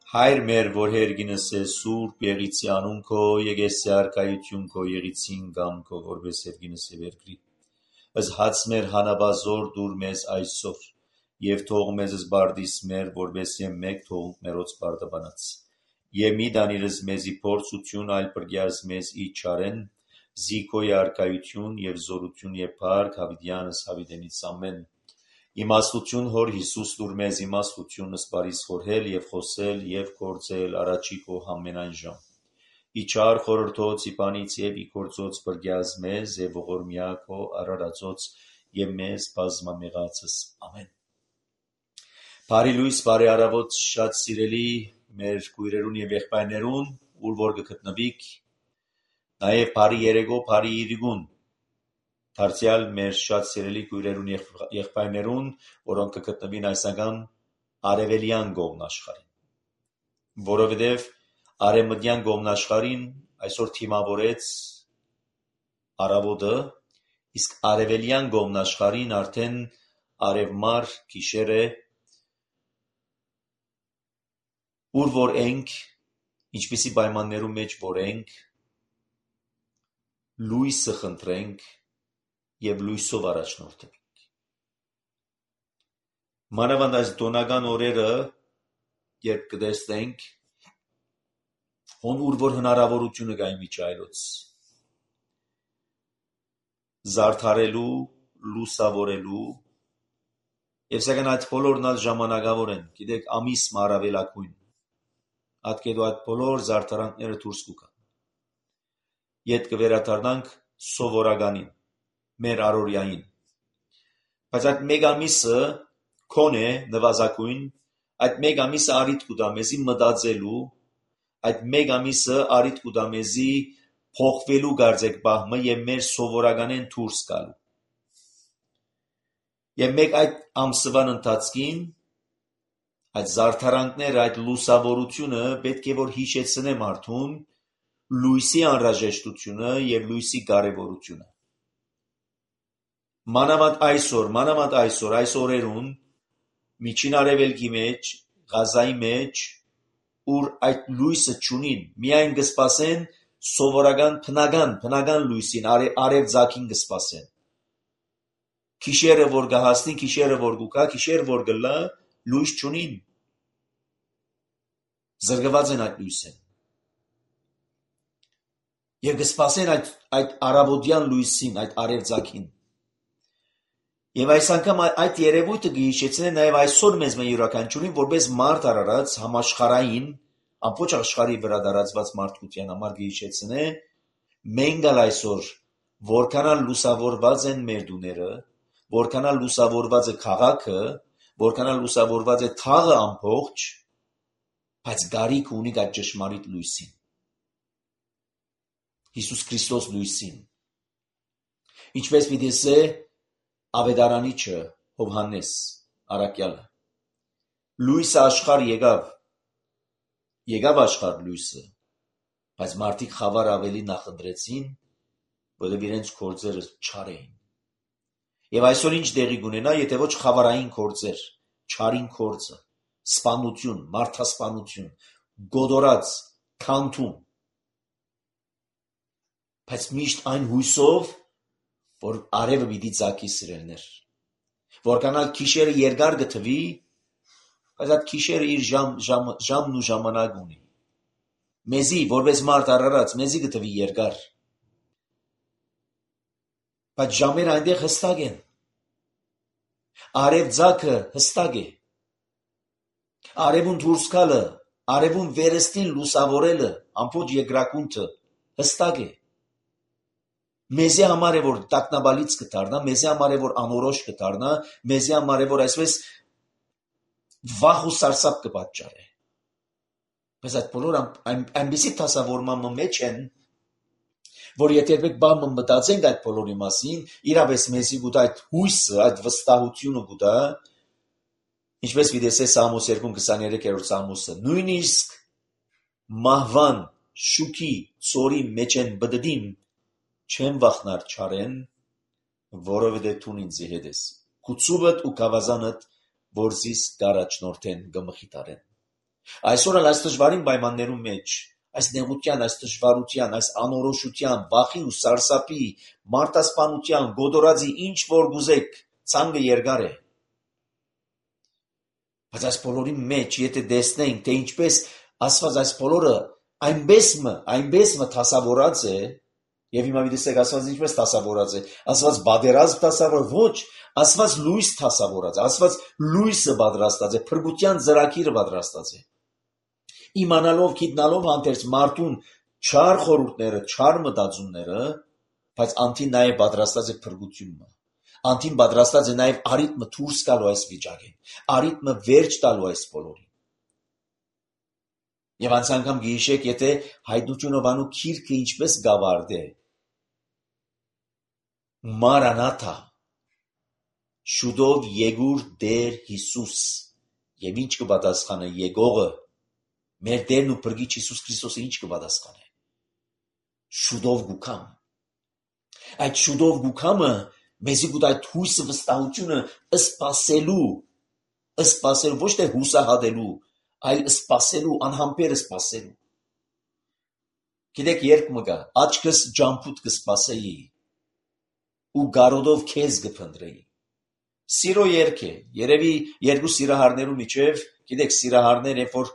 Հայր մեր, որ հերգինս է սուրբ եղիցի անուն քո, եկեսի արկայություն քո եղիցին գամ քո, որպես հերգինս է վերգրի։ Ըս հաց մեր հանաբազոր դուր մեզ այսօր, և թող մեզ զբարդիս մեր, որպես եմ մեկ թողունք մերոց բարդաբանած։ Եվ մի դանիրս մեզի փորձություն, այլ պրգյազ մեզ ի չարեն, զիքոյ արկայություն և զորություն և փառք հավիտյանս հավիտենից ամեն։ Իմաստություն հոր Հիսուս դուր մեզ իմաստություն սպարիս խորհել և խոսել և գործել առաջի քո ամենայն ժամ։ Իչար խորհրդոց իպանից և իգործոց պրգյազ մեզ և ողորմյա քո արարածոց և մեզ բազմամեղացս ամեն։ Բարի լույս, բարի առավոտ, շատ սիրելի մեր քույրերուն և եղբայրներուն, ուր որ կգտնվիք, նաև բարի երեկո, բարի իրիկուն դարձյալ մեր շատ սիրելի քույրերուն եղբայրներուն, որոնք կգտնվին այս անգամ արևելյան կողմն աշխարհին, որովհետև արևմտյան կողմն աշխարհին այսօր թիմավորեց առավոտը, իսկ արևելյան կողմն աշխարհին արդեն արևմար գիշեր է, ուր որ ենք, ինչպիսի պայմաններում մեջ որ ենք, լույսը խնդրենք և լույսով առաջնորդենք։ Մանավանդ այս տոնական օրերը, երբ կտեսնենք, ուր որ հնարավորությունը կա իմիջայլոց զարդարելու, լուսավորելու, և սակայն այդ բոլորն ալ ժամանակավոր են, գիտեք, ամիսը առավելագույն, ատկետու այդ բոլոր զարդարանքները դուրս կգան։ Ետ կվերադառնանք սովորականին, մեր առօրյային։ Բայց այդ մեկ ամիսը քոնե նվազագույն, այդ մեկ ամիսը առիթ կտա մեզի մտածելու, այդ մեկ ամիսը առիթ կտա մեզի փոխվելու կարծեք բահմը և մեր սովորականեն դուրս գալու։ Եվ մեկ այդ ամսվան ընթացքին այդ զարդարանքները, այդ լուսավորությունը պետք է որ հիշեցնե մարդուն լույսի անհրաժեշտությունը և լույսի կարևորությունը։ Մանավանդ այսօր, այս օրերուն, միջին արևելքի մեջ, Գազայի մեջ, ուր այդ լույսը չունին, միայն կսպասեն սովորական բնական լույսին, արևձագին կսպասեն։ Գիշերը որ կհասնի, գիշերը որ կգա, գիշեր որ կլա, լույս չունին։ Զրկված են այդ լույսեն։ Եվ կսպասեն այդ առավոտյան լույսին, այդ արևձագին։ Եվ այս անգամ այդ երևույթը կհիշեցնե նաև այսօր մեզ յուրաքանչյուրին որպես մարդ արարած համաշխարհային, ամբողջ աշխարհի վրա տարածված մարդկության համար կհիշեցնե մենք ալ այսօր որքան լուսավորված են մեր տուները, որքան լուսավորված է քաղաքը, որքան լուսավորված է թաղը ամբողջ, բայց կարիք ունի այդ ճշմարիտ լույսին, Հիսուս Քրիստոս լույսին։ Ինչպես պիտի ասե ավետարանիչը Հովհաննես առաքյալը, լույսը աշխարհ եկավ աշխարհ լույսը, բայց մարդիկ խավար ավելի նախընտրեցին, որովհետև իրենց գործերը չար էին։ Եվ այսօր ինչ տեղի կունենա, եթե ոչ խավարային գործեր, չարին գործը, սպանություն, մարդասպանություն, գոդորած, քանդում, բայց միշտ այն հույսով, որ արևը պիտի ծագի սիրելներ, որքան գիշերը երկար կթվի, բայց այդ գիշերը իր ժամն ու ժամանակ ունի։ Մեզի, որպես մարդ արարած, մեզի կթվի երկար, բայց ժամերը այնտեղ հստակ են։ Արևձագը հստակ է։ Արևուն դուրս գալը, արևուն վերստին լուսավորելը, ամբողջ երկրակունթը հստակ է։ Մեզի համար է որ տագնապալից կդառնա, մեզի համար է որ անորոշ կդառնա, մեզի համար է որ այսպես վախ ու սարսափ կպատճառե։ Բայց այդ բոլորը այնպիսի դասավորման մեջ են, որ եթե երբեք բան մտածենք այդ բոլորի մասին, իրապես մեզի կուտա այդ հույսը, այդ վստահությունը կուտա, ինչպես վիդեսե Սամոս 2:23 Սամոսը, նույնիսկ մահվան, շուքի, ծորի մեջ են բդդին, չեմ վախնար չարեն, որովհետև դու ինձի հետ ես, քու ցուվդ ու գավազանդ, որ զիս կառաջնորդեն կմխիթարեն։ Այսօր այս դժվարին պայմաններում մեջ, այս նեղության, այս դժվարության, այս անորոշության, վախի ու սարսափի, մարտասպանության, գոդորածի ինչ որ գուզեք, ցանկը երկար է։ Բայց այս բոլորի մեջ, եթե տեսնենք, թե ինչպես Աստված այս բոլորը այնպես դասավորած է, եւ հիմա դիտեք Աստված ինչպես դասավորած է, Աստված բادرազմ դասավոր ոչ, Աստված լույս դասավորած է, Աստված լույսը պատրաստած է, փրկության ծրագիրը պատրաստած է։ Իմանալով, գիտնալով հանդերձ մարդուն չար խորհուրդները, չար մտածումները, բայց անտին նաև պատրաստած է փրկությունը։ Անտին պատրաստած է նաև արիթմը դուրս գալու այս վիճակին, արիթմը վերջ տալու այս բոլորին։ Եվ անց անգամ գիշեք, եթե հայտնությունով անու քիրքը ինչպես գավարդե։ Մարանաթա, շուտով եկուր Տեր Հիսուս, եւ ինչ կպատասխանը եկողը, մեր Տերն ու Փրկիչ Հիսուս Քրիստոսը ինչ կպատասխանե։ Շուտով գուքամ։ Այդ շուտով գուքամը մեզի գուտ այդ հույսը վստահությունը սպասելու, ոչ թե հուսահատելու, այլ սպասելու, անհամբեր սպասելու։ Գիտեք, երբ մը գա, աչքս ջամփուտ կսպասեի ու գարոդով քեզ կփնտրեի։ Սիրո երգ է, երևի երկու սիրահարներու միջև, գիտեք, սիրահարներ երբ որ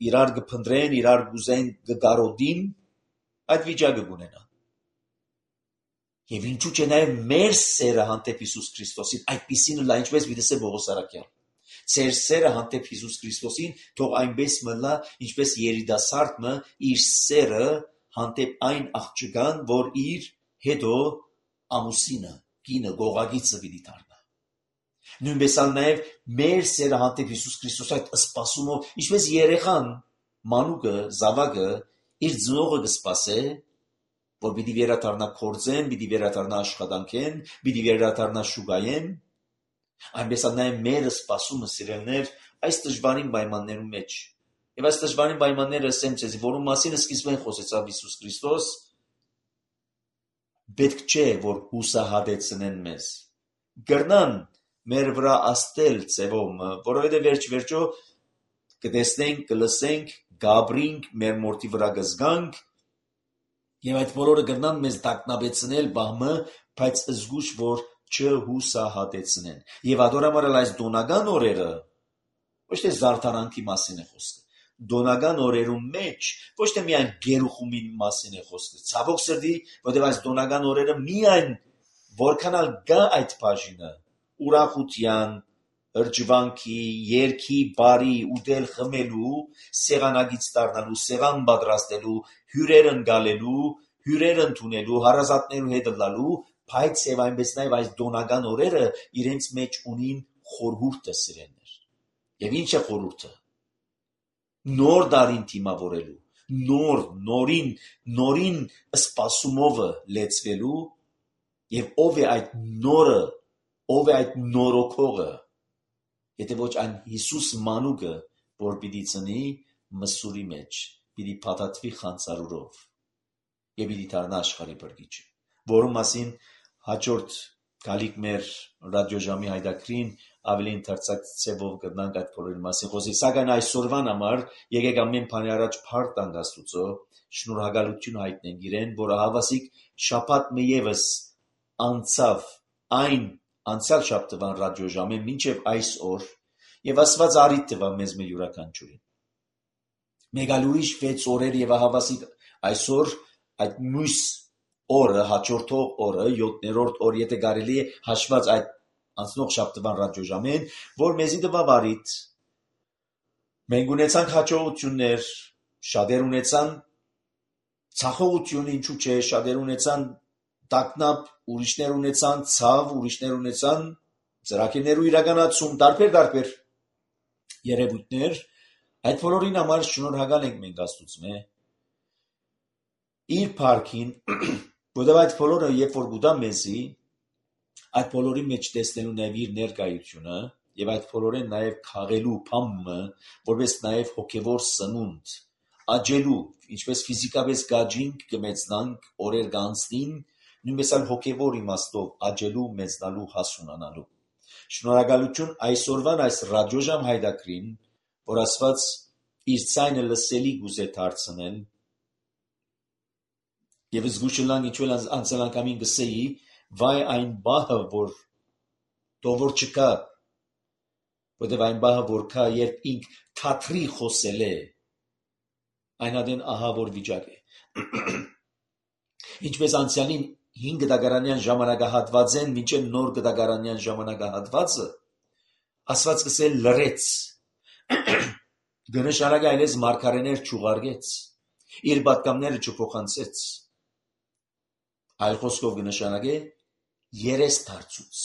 իրար կփնտրեն, իրար կուզեն կգարոդին, այդ վիճակը կունենան։ Եվ ինչու՞ չէ նաև մեր սերը հանդեպ Հիսուս Քրիստոսին, այդպիսին լա ինչպես վիդեսե Բողոս Արաքյան։ Ձեր սերը հանդեպ Հիսուս Քրիստոսին թող այնպես մնա, ինչպես երիտասարդը իր սերը հանդեպ այն աղջկան, որ իր հետո ամուսինը, կինը, գողագիծը պիտի դառնա։ Նույնպես նաև մեր սերը հանդեպ Հիսուս Քրիստոս այդ սպասումով, ինչպես երեխան, մանուկը, զավակը իր ծնողը կսպասե, որ պիտի վերադառնա կորձեն, պիտի վերադառնա աշխատանքեն, պիտի վերադառնա շուկայեն, այնպես նաև մեր սպասումը սիրելներ այս դժվարին պայմաններում մեջ։ Եվ այս դժվարին պայմանները ասեմ ձեզ, որում մասին սկիզբեն խոսեցավ Հիսուս Քրիստոս, պետք չէ, որ հուսահատեցնեն մեզ։ Գրնան մեր վրա աստել ձևով, որովհետև վերջ-վերջո կտեսնենք, կլսենք, գաբրինք, մեր մորթի վրա կզգանք, եւ այդ բոլորը կգնան մեզ տակնաբեցնել բամը, բայց զգուշ որ չհուսահատեցնեն։ Եվ ադորամարալ այս դոնական օրերը ոչ թե զարդարանքի մասին է խոսքը։ Դոնական օրերում մեջ ոչ թե միայն գերուխումին մասին է խոսքը։ Ցավոք սրտի, որտեղ այս դոնական օրերը միայն որքանալ գա այդ բաժինը ուրախության, հրճվանքի, երգի, բարի, ուտել, խմելու, սեղանագից դառնալու, սեղան պատրաստելու, հյուրեր ընկալելու, հյուրեր ընդունելու, հարազատներու հետ լալու, բայց եւ այնպես նաեւ այս դոնական օրերը իրենց մեջ ունին խորհուրդը սիրելներ։ Եվ ինչ է խորհուրդը։ Նոր դարին թիմավորելու, նորին սպասումով լեցվելու եւ ով է այդ նորը, ով է այդ նորոգողը, եթե ոչ այն Հիսուս մանուկը, որ պիտի ծնի մսուրի մեջ, պիտի փաթաթվի խանձարուրով եւ պիտի դառնա աշխարհի Փրկիչը, որում մասին հաջորդ գալիք մեր ռադիոժամի հայտակրին ավելի ընդարձակ ցևով կդնանք այդ բոլորի մասին խոսի, սակայն այսօրվան համար եկեք ամեն բանի առաջ փառք տանք Աստուծո, շնորհակալություն հայտնենք իրեն, որը հավասիկ շաբաթ մի եւս անցավ այն անցյալ շաբթվան ռադիոժամը մինչև այսօր եւ Աստված արիթ տվա մեզ մի յուրաքանչյուրին։ Մեկ այլ ուրիշ 6 օրեր եւ հավասիկ այսօր այդ մյուս օրը, հաջորդող օրը, 7-րդ օր, եթե կարելի է հաշված այդ անցնող շաբթվան ռադիոժամեն, որ մեզի տվա արիթ։ Մենք ունեցանք հաջողություններ, շատեր ունեցան ցախողություն, ինչու՞ չէ, շատեր ունեցան տակնապ, ուրիշներ ունեցան ցավ, ուրիշներ ունեցան ծրագիրներու իրականացում, տարբեր երևույթներ, այդ բոլորին համար շնորհակալ ենք մենք Աստծո իր փառքին, որովհետև այդ բոլորը երբ որ գուտա մեզի, այդ բոլորի մեջ տեսնելու նաև իր ներկայությունը եւ այդ բոլորեն նաև քաղելու փամը, որպես նաև հոգեվոր սնունդ, աճելու, ինչպես ֆիզիկապես գաջինք կմեծնանք, օրեր կանցնին, նույնպես այլ հոգեվոր իմաստով աճելու, մեծնալու, հասունանալու։ Շնորհակալություն այսօրվան այս ռադիոժամ հայտակրին, որ Աստված իր ցայնը լսելի գուզե դարձնել, եւ զգուշլան ինչու անցանկամին գսեի, վայ այն բահը, որ դովոր չկա, որտեւ այն բահը, որ կա, երբ ինք թատրի խոսել է, այն adեն ահավոր վիճակ է։ Ինչպես անցյալին 5 դագարանյան ժամանակահատվածեն մինչև նոր դագարանյան ժամանակահատվածը, Աստված սկսել լրեց, գնշարագ այլես մարգարեներ չուղարկեց, իր պատգամները չփոխանցեց, այլ խոսքով գնշարագ է երես դարձուց։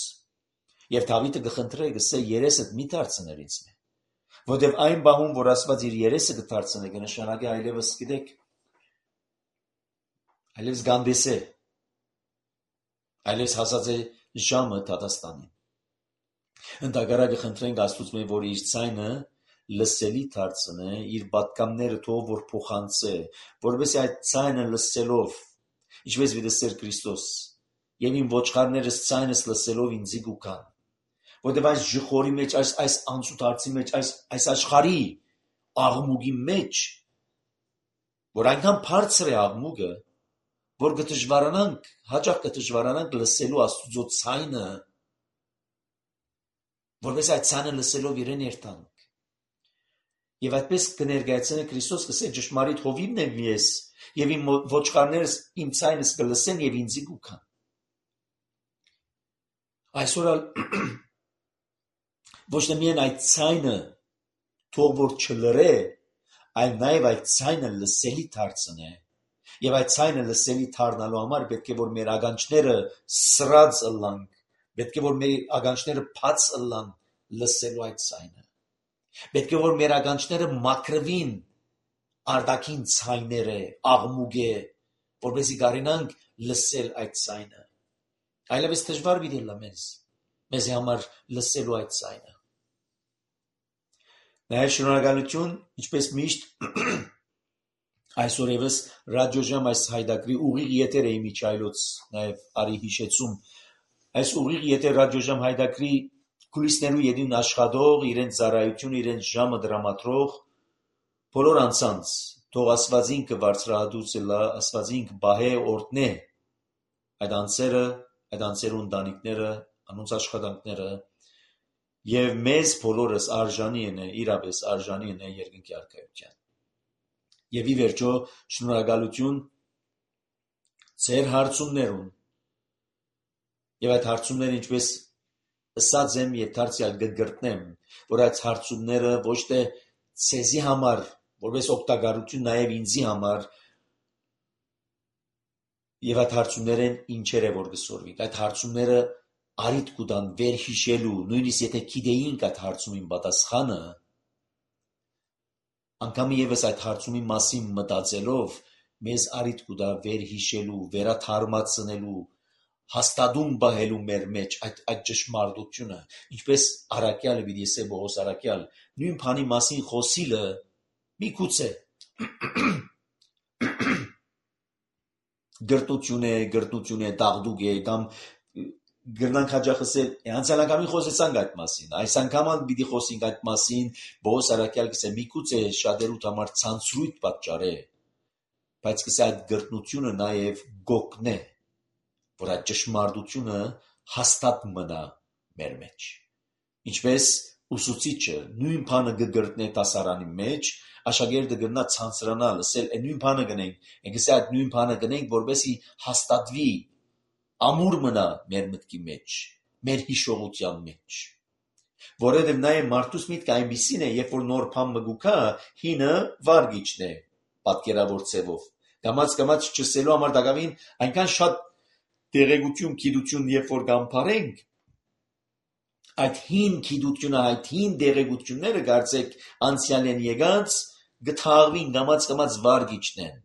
Եվ Դավիթը գխնդրե գսե երեսդ մի դարձներ ինձ մե, որտև այն բահում, որ Աստված իր երեսը կդարձնե գնշարագ է այլևս գիտեք, այլևս գանդես է, այլևս հասած է ժամը դատաստանին։ Ընդհակառակը խնդրենք Աստծուց մե, որ իր ցայնը լսելի դարձնե, իր պատգամները թող որ փոխանցե, որովհետեւ այդ ցայնը լսելով, ինչպես վիդեսեր Քրիստոս, եւ իմ ոչխարներս ցայնս լսելով ինձի գուքան, որովհետեւ այս ժխորի մեջ, այս անցուտ հարցի մեջ, այս աշխարհի աղմուկի մեջ, որ այնքան բարձր է աղմուկը, որ կդժվարանանք, հաճախ կդժվարանանք լսելու Աստծո ցայնը, որպես այդ ցայնը լսելով իրեն երթանք։ Եվ այդպես կներկայացնե Քրիստոս կսե ճշմարիտ հովիվն եմ ես, եւ իմ ոչխարներս իմ ցայնս կլսեն եւ ինձի կուքան։ Այսօր ոչ թե միայն այդ ցայնը թող որ չլրե, այլ նաեւ այդ ցայնը լսելի դարձնե։ Եվ այդ ցայնը լսելի դառնալու համար պետք է որ մեր ականջները սրած ըլլանք, պետք է որ մեր ականջները բաց ըլլան լսելու այդ ցայնը։ Պետք է որ մեր ականջները մաքրվին արտաքին ցայները, աղմուկը, որպեսզի կարենանք լսել այդ ցայնը։ Այլևս դժվար պիտի լա մեզ համար լսելու այդ ցայնը։ Նաև շնորհակալություն, ինչպես միշտ այսօր եւս ռադիոժամ այս հայդակրի ուղիղ եթեր է Միչայլոց նաև արի հիշեցում այս ուղիղ եթեր ռադիոժամ հայդակրի կուլիսներու յետին աշխատող իրենց ծառայությունը իրենց ժամը դրամատրող բոլոր անձանց թող Աստվածին կբարձրահատուցելա Աստվածին կբահե օրտնե այդ անձերու ընտանիքները անոնց աշխատանքները եւ մեզ բոլորս արժանի են իրապես արժանի են երկնքի արքայության։ Եվ ի վերջո շնորհակալություն ձեր հարցումներուն եւ այդ հարցումները ինչպես ըսած եմ եւ դարձյալ կգրտնեմ, որ այդ հարցումները ոչ թե ցեզի համար, որպես օգտակարություն նաեւ ինձի համար եւ այդ հարցումներն ինչեր է որ գսորվի։ Այդ հարցումները արիտ կուտան վերհիշելու, նույնիսկ եթե գիտեինք այդ հարցումին պատասխանը, անգամ եւս այդ հարցումի մասին մտածելով մեզ արիտ կուտա վերհիշելու, վերաթարմացնելու, հաստատում բահելու մեր մեջ այդ ճշմարտությունը, ինչպես Արաքյալը պիտի ասե Բողոս Արաքյալ, նույն բանի մասին խոսիլը միգուցե գրտնություն է, դաղդուկ է, կամ գրնանք հաճախ ասել, անցյալ անգամին խոսեցանք այդ մասին, այս անգամ պիտի խոսենք այդ մասին, Բողոս Արաքյալ կսե միգուցե շատերուդ համար ցանցրույթ պատճառ է, բայց կսե այդ գրտնությունը նաև գոգն է, որ այդ ճշմարտությունը հաստատ մնա մեր մեջ։ Ինչպես ուսուցիչը նույն բանը կգրտնե դասարանի մեջ, աշակերտը կգնա ցանցրանալ, ասել նույն բանը գնենք, այնքսե այդ նույն բանը գնենք, որպեսզի հաստատվի, ամուր մնա մեր մտքի մեջ, մեր հիշողության մեջ։ Որովհետև նաև մարդուս միտքը այնպիսին է, երբ որ նոր բան մգուքա, հինը վարգիչն է, պատկերավոր ձևով։ Կամաց չսելու համար դակավին այնքան շատ տեղեկություն, գիտություն, երբ որ կամփարենք, այդ հին գիտությունը, այդ հին տեղեկությունները կարծեք անցյալ են եկած, գթաղվին կամաց վարգիչն են։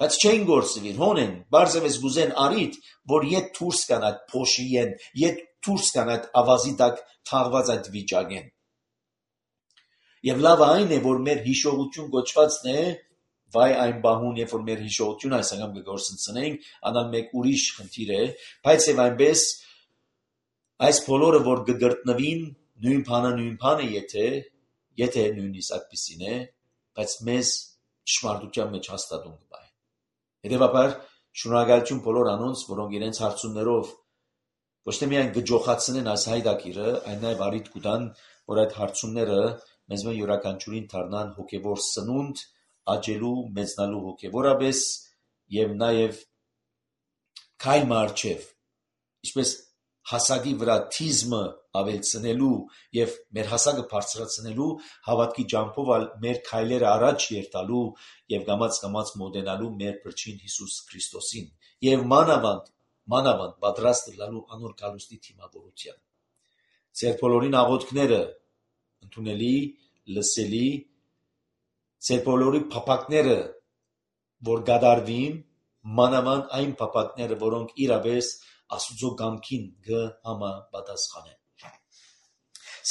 Բայց չեն գործվին, հոնեն, բարձևս գուզեն արիտ, որ ետ թուրս կան այդ փոշիեն, ետ թուրս կան այդ ավազի տակ թաղված այդ վիճակեն։ Եվ լավ այն է, որ մեր հիշողություն գոչվածն է, վայ այն բահուն, երբ որ մեր հիշողությունը այս անգամ կգործընծնենք, անալ մեկ ուրիշ խնդիր է, բայց եւ այնպես այս բոլորը որ կգրտնվին նույն բանը, եթե նույնիսկ այդպիսին է, բայց մեզ ճշմարտության մեջ հաստատուն կբայ։ Հետևաբար շնորհակալություն բոլոր անոնց, որոնք իրենց հարցումներով ոչ թե միայն գջոխացնեն այս հայդակիրը, այլ նաև առիթ կտան, որ այդ հարցումները մեզ յուրաքանչյուրին դառնան հոգևոր սնունդ, աճելու, մեծնալու հոգևորապես եւ նաև քայլ մարչև, ինչպես հասակի վրա թիզմը ավելցնելու եւ մեր հասակը բարձրացնելու հավատքի ջամփով մեր քայլերը առաջ երթալու եւ կամաց մոտենալու մեր Փրկին Հիսուս Քրիստոսին եւ մանավանդ պատրաստ լինելու անոր գալուստի թիմավորության։ Ձեր բոլորին աղոթքները ընդունելի, լսելի, ձեր բոլորի փափակները, որ գադարվին, մանավանդ այն փափակները, որոնք իրապես Աստուծո կամքին կհամապատասխանեն։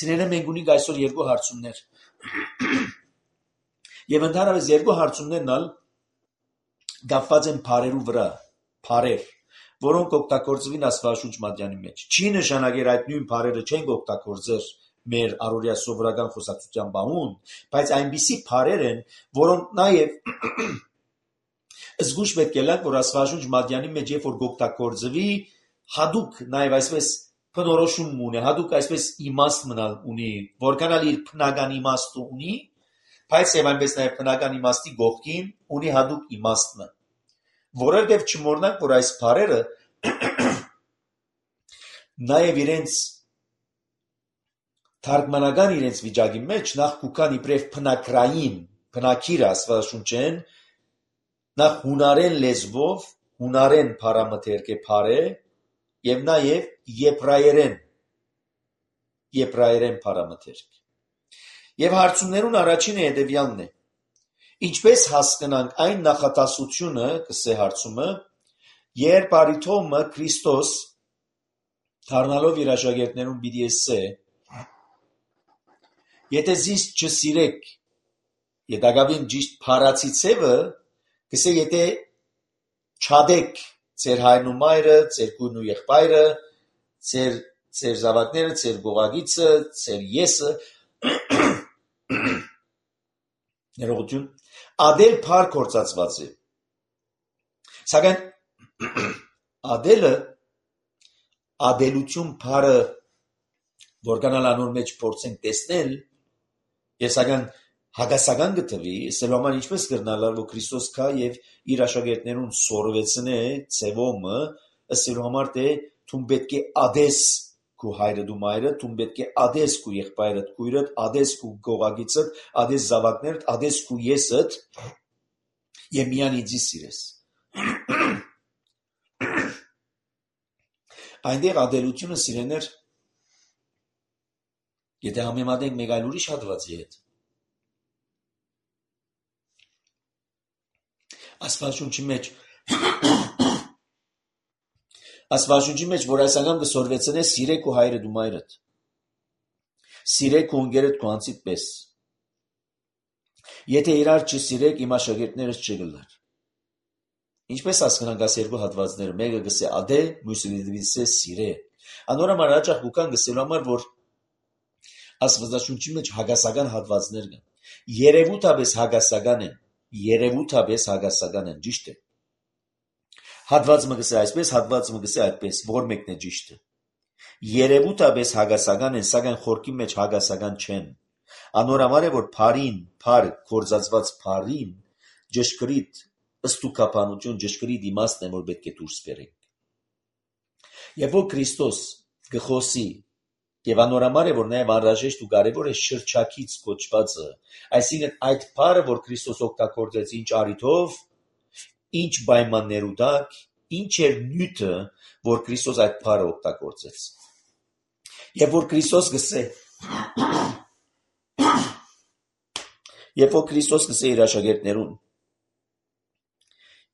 Սիրելիներ, մենք ունենք այսօր երկու հարցումներ։ Եվ ընդհանրապես երկու հարցումներն ալ կապված են բառերու վրա, բառեր, որոնք օգտագործվին Աստվածաշունչ մատյանի մեջ։ Չի նշանակեր այդ նույն բառերը չեն օգտագործեր մեր առօրյա սովորական խոսակցության բանուն, բայց այնպիսի բառեր են, որոնք նաև զգուշ պետք է լակ, որ Աստվածաշունչ մատյանի մեջ երբ որ օգտագործվի, հadouk նաև այսպես բնորոշում ունի, հadouk այսպես իմաստ մնալ ունի, որքան էլ իր բնական իմաստը ունի, բայց եւ այնպես նաև բնական իմաստի գողքին ունի հadouk իմաստը։ Որովհետև չմոռնանք, որ այս բառերը նաև իրենց թարգմանական իրենց վիճակի մեջ նախ կուքան իբրև բնակրային, բնակիր Աստվածաշունչեն, նախ հունարեն լեզվով, հունարեն բառամթերք է բառը եւ նաև եբրայերեն բառամթերք։ Եվ հարցումներուն առաջինը հետևյալն է. ինչպես հասկանանք այն նախատասությունը, կսե հարցումը, երբ արիթոմը Քրիստոս դառնալով իր աշակերտներուն պիտի ասե. եթե զիս չսիրեք, հետագավին ճիշտ փարացի ցևը, կսե եթե չադեք ձեր հայրն ու մայրը, ձեր քույրն ու եղբայրը, ձեր զավակները, ձեր գողագիցը, ձեր եսը, ներողություն, ադել փար կործածված է։ Սակայն ադելություն փարը որքանալ անոր մեջ փորձենք տեսնել, եւ սակայն հագասական գտվի, սելու համար ինչպես կրնալար, որ Քրիստոս կա եւ իր աշակերտներուն սորվեցնե ցևոմը, սելու համար թե թուն պետք է ադես քու հայրը դու մայրը, թուն պետք է ադես քու եղբայրդ, քույրդ, ադես քու գողագիցդ, ադես զավակներդ, ադես քու եսդ եւ միան ինձի սիրես։ Այնտեղ ադելությունը սիրեներ, եթե համեմատենք մեկ այլ ուրիշ հատվածի հետ, Աստվածաշունչի մեջ, որ այս անգամ կսորվեցնե սիրեք ու հայրդ ու մայրդ, սիրեք ու ընկերդ քո անձիդ պես։ Եթե իրար չսիրեք, իմ աշակերտներս չգլար։ Ինչպես հասկանանք այս երկու հատվածները, մեկը գսե ադե, մյուսը գսե սիրե։ Անորոմար հաճախ կան գսելու համար, որ Աստվածաշունչի մեջ հագասական հատվածներ կան։ Երևութաբես հագասական են, ճիշտ է։ Հատվածը գսե այսպես, հատվածը գսե այդպես, որ մեկն է ճիշտը։ Երևութաբես հագասական են, սակայն խորքի մեջ հագասական չեն։ Անորոմար է, որ փար կործածված փարին ճշգրիտ ըստուկապանություն, ճշգրիտ իմաստն է, որ պետք է դուրս բերենք։ Եվ որ Քրիստոս գխոսի եւ անորոմար է, որ նաեւ անհրաժեշտ ու կարեւոր է շրջակից կոչվածը, այսինքն այդ փարը, որ Քրիստոս օգտագործեց ինչ առիթով, ինչ պայմաններու տակ, ինչ էր նյութը, որ Քրիստոս այդ փարը օգտագործեց։ Եվ որ Քրիստոս գսե իր աշակերտներուն.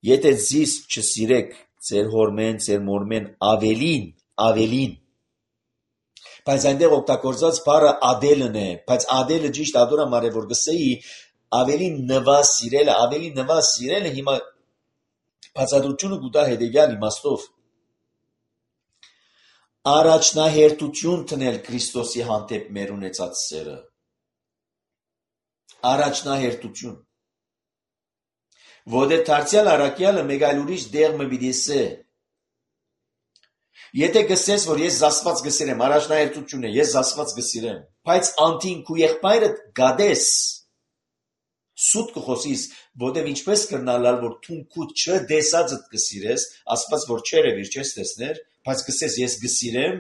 եթե զիս չսիրեք ձեր հորմեն, ձեր մորմեն ավելին, բայց այնտեղ օգտագործած բառը ադելն է, բայց ադելը ճիշտ ադորամար է, որ գսեի ավելի նվա սիրելը հիմա բացատրությունը կուտա հետևյալ իմաստով. առաջնահերթություն տնել Քրիստոսի հանդեպ մեր ունեցած սերը, առաջնահերթություն։ Որտեղ դարձյալ առաքյալը մեկ այլ ուրիշ դեղ մը պիտի սե։ Եթե գսես, որ ես Աստված գսիրեմ, առաջնահերթություն է, ես Աստված գսիրեմ, բայց անտին քու եղբայրդ գադես, սուտ կխոսիս, որտեղ ինչպես կրնալալ, որ թուն քու չդեսածդ գսիրես, Աստված որ չերևիր չես տեսներ, բայց գսես ես գսիրեմ,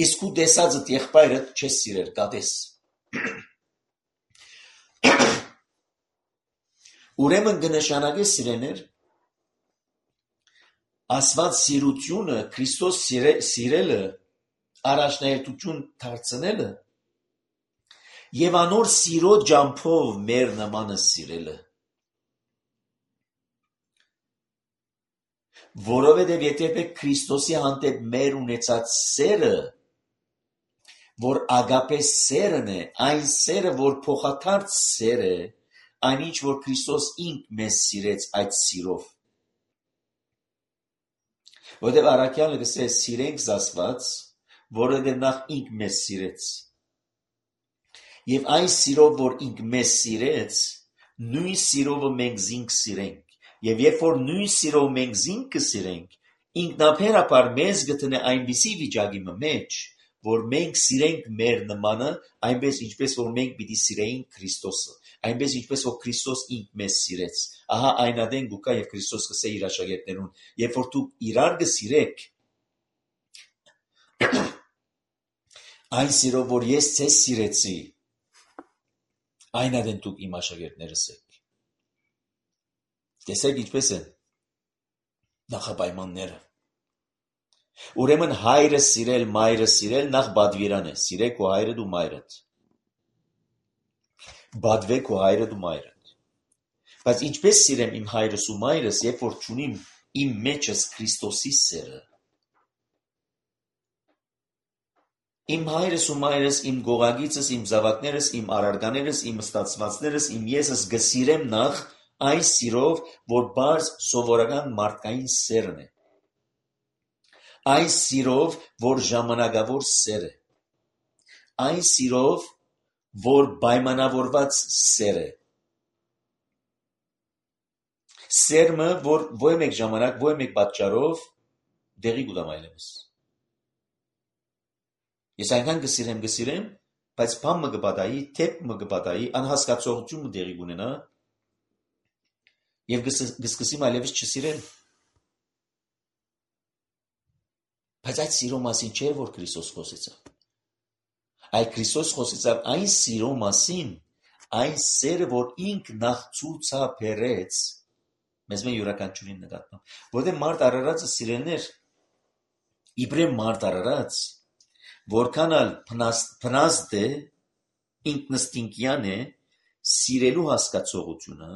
իսկ քու դեսածդ եղբայրդ չես սիրեր, գադես։ Ուրեմն կնշանակե սիրեներ, Աստված սիրությունը, Քրիստոս սիրելը, առաջնահերթություն դարձնելը եւ անոր սիրո ջամփով մեր նմանը սիրելը։ Որովհետեւ եթե Քրիստոսի հանդեպ մեր ունեցած սերը, որ ագապե սերն է, այն սերը, որ փոխադարձ սեր է, այնինչ որ Քրիստոս ինք մեզ սիրեց այդ սիրով։ Որտեղ առաքյալը գսե սիրենք Աստված, որովհետև նախ ինք մեզ սիրեց։ Եվ այն սիրով, որ ինք մեզ սիրեց, նույն սիրովը մենք զինք սիրենք։ Եվ երբ որ նույն սիրով մենք զինք կսիրենք, ինքնաբերաբար մեզ գտնե այնպիսի վիճակի մեջ, որ մենք սիրենք մեր նմանը, այնպես ինչպես որ մենք պիտի սիրեինք Քրիստոսը, այնպես ինչպես որ Քրիստոս ինք մեզ սիրեց։ Ահա այն ադեն գուկա եւ Քրիստոս գսե իր աշակերտներուն, երբ որ դուք իրար գսիրեք, այն սիրով որ ես ձեզ սիրեցի, այն ադեն դուք իմ աշակերտներս եք։ Տեսեք ինչպես են նախապայմանները։ Ուրեմն հայրը սիրել, մայրը սիրել նախ բադվիրան է, սիրեք ու հայրդ ու մայրդ։ Բադվեք ու հայրդ ու մայրդ։ Բայց ինչպես սիրեմ իմ հայրս ու մայրս, երբ որ չունիմ իմ մեջս Քրիստոսի սերը։ Իմ հայրս ու մայրս, իմ գողագիցս, իմ զավակներս, իմ արարկաներս, իմ ստացվածներս, իմ եսս գսիրեմ նախ այն սիրով, որ բարձ սովորական մարդկային սերն է։ Այն սիրով, որ ժամանակավոր սեր է։ Այն սիրով, որ պայմանավորված սեր է։ Սերմը, որ ոչ մեկ ժամանակ, ոչ մեկ պատճառով դեղի կուտամ այլևս։ Ես այնքան գսիրեմ, բայց բան մը կպատայի, թեփ մը կպատայի, անհասկացողություն մը դեղի կունենա եւ կսկսեմ այլևս չսիրել։ Բայց այդ սիրո մասին չէր, որ Քրիստոս խոսեցավ։ Այդ Քրիստոս խոսեցավ այն սիրո մասին, այն սերը, որ ինք նախ ցուցաբերեց մեզ մե յուրաքանչյուրին նկատմամբ։ Որտեղ մարդ արարածը սիրելներ, իբրև մարդ արարած, որքան ալ փնաստ է, ինքնստինքյան է, սիրելու հասկացողությունը,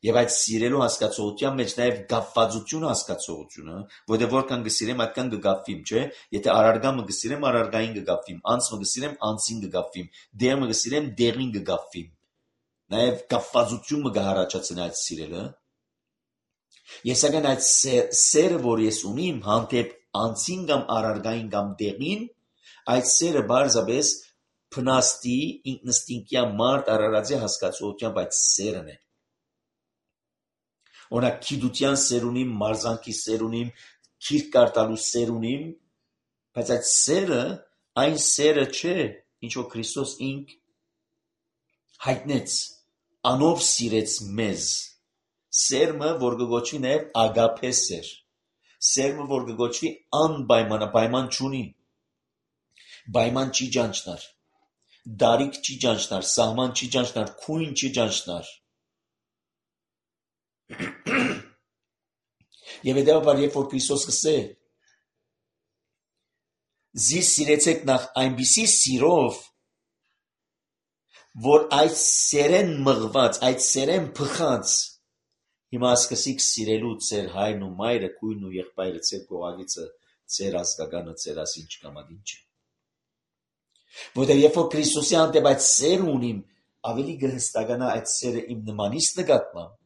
եւ այդ սիրելու հասկացողության մեջ նաեւ գապվածություն հասկացողությունը, որտեղ որքան գսիրեմ, այդքան կգապվիմ, չէ՞։ Եթե արարգամը գսիրեմ, արարգային կգապվիմ, անցը գսիրեմ, անցին կգապվիմ, դեղը գսիրեմ, դեղին կգապվիմ։ Նաեւ գապվածությունը կհառաջացնի այդ սիրելը։ Ես ագան այդ սերը, որ ես ունիմ հանդեպ անցին կամ արարգային կամ դեղին, այդ սերը բարձրապես փնաստի ինքնստինքյան մարդ արարածի հասկացողությամբ այդ սերն է։ Օրինակ գիտության սեր ունիմ, մարզանքի սեր ունիմ, քիրք կարտալու սեր ունիմ, բայց այդ սերը այն սերը չէ, ինչ որ Քրիստոս ինք հայտնեց, անով սիրեց մեզ։ Սերմը, որ կգոչվի նաև ագապե սեր, սերմը, որ կգոչվի անպայման չունի, պայման չի ճանչնար, դարիք չի ճանչնար, սահման չի ճանչնար, քույն չի ճանչնար։ Եվ հետևաբար, երբ որ Քրիստոս կսե, զիս սիրեցեք նախ այնպիսի սիրով, որ այդ սերեն մղված, այդ սերեն փխած, հիմա սկսիկ սիրելու ձեր հայրն ու մայրը, քույրն ու եղբայրը, ձեր գողագիցը, ձեր ազգականը, ձեր ասինչ կամ ադինչը։ Որտեղ երբ որ Քրիստոսի հանդեպ այդ սեր ունիմ, ավելի կհստականա այդ սերը իմ նմանից նկատմամբ։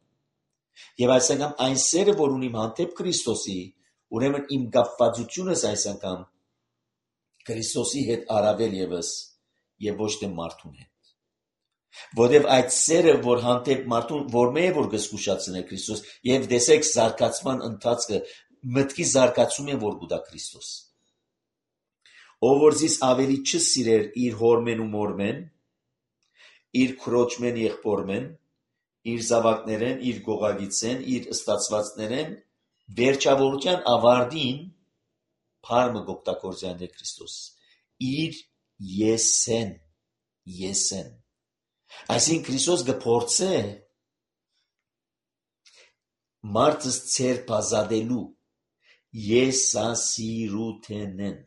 Եվ այս անգամ այն սերը, որ ունիմ հանդեպ Քրիստոսի, ուրեմն իմ կապվածությունս այս անգամ Քրիստոսի հետ առավել եւս եւ ոչ թե մարդուն հետ։ Որտև այդ սերը, որ հանդեպ մարդուն, որ մե է, որ գսկուշացնե Քրիստոս, եւ դեսեք զարգացման ընթացքը, մտքի զարգացում է, որ գուտա Քրիստոս։ Ով որ զիս ավելի չսիրեր իր հորմեն ու մորմեն, իր քրոջմեն եղբորմեն, իր զավակներեն, իր գողագիցեն, իր ստացվածներեն, վերջավորության ավարտին փարմը գոկտակորձյան է Քրիստոս։ Իր եսեն։ Այսինքն Քրիստոս գփորձե մարդս ցերպազադելու եսասիրութենեն,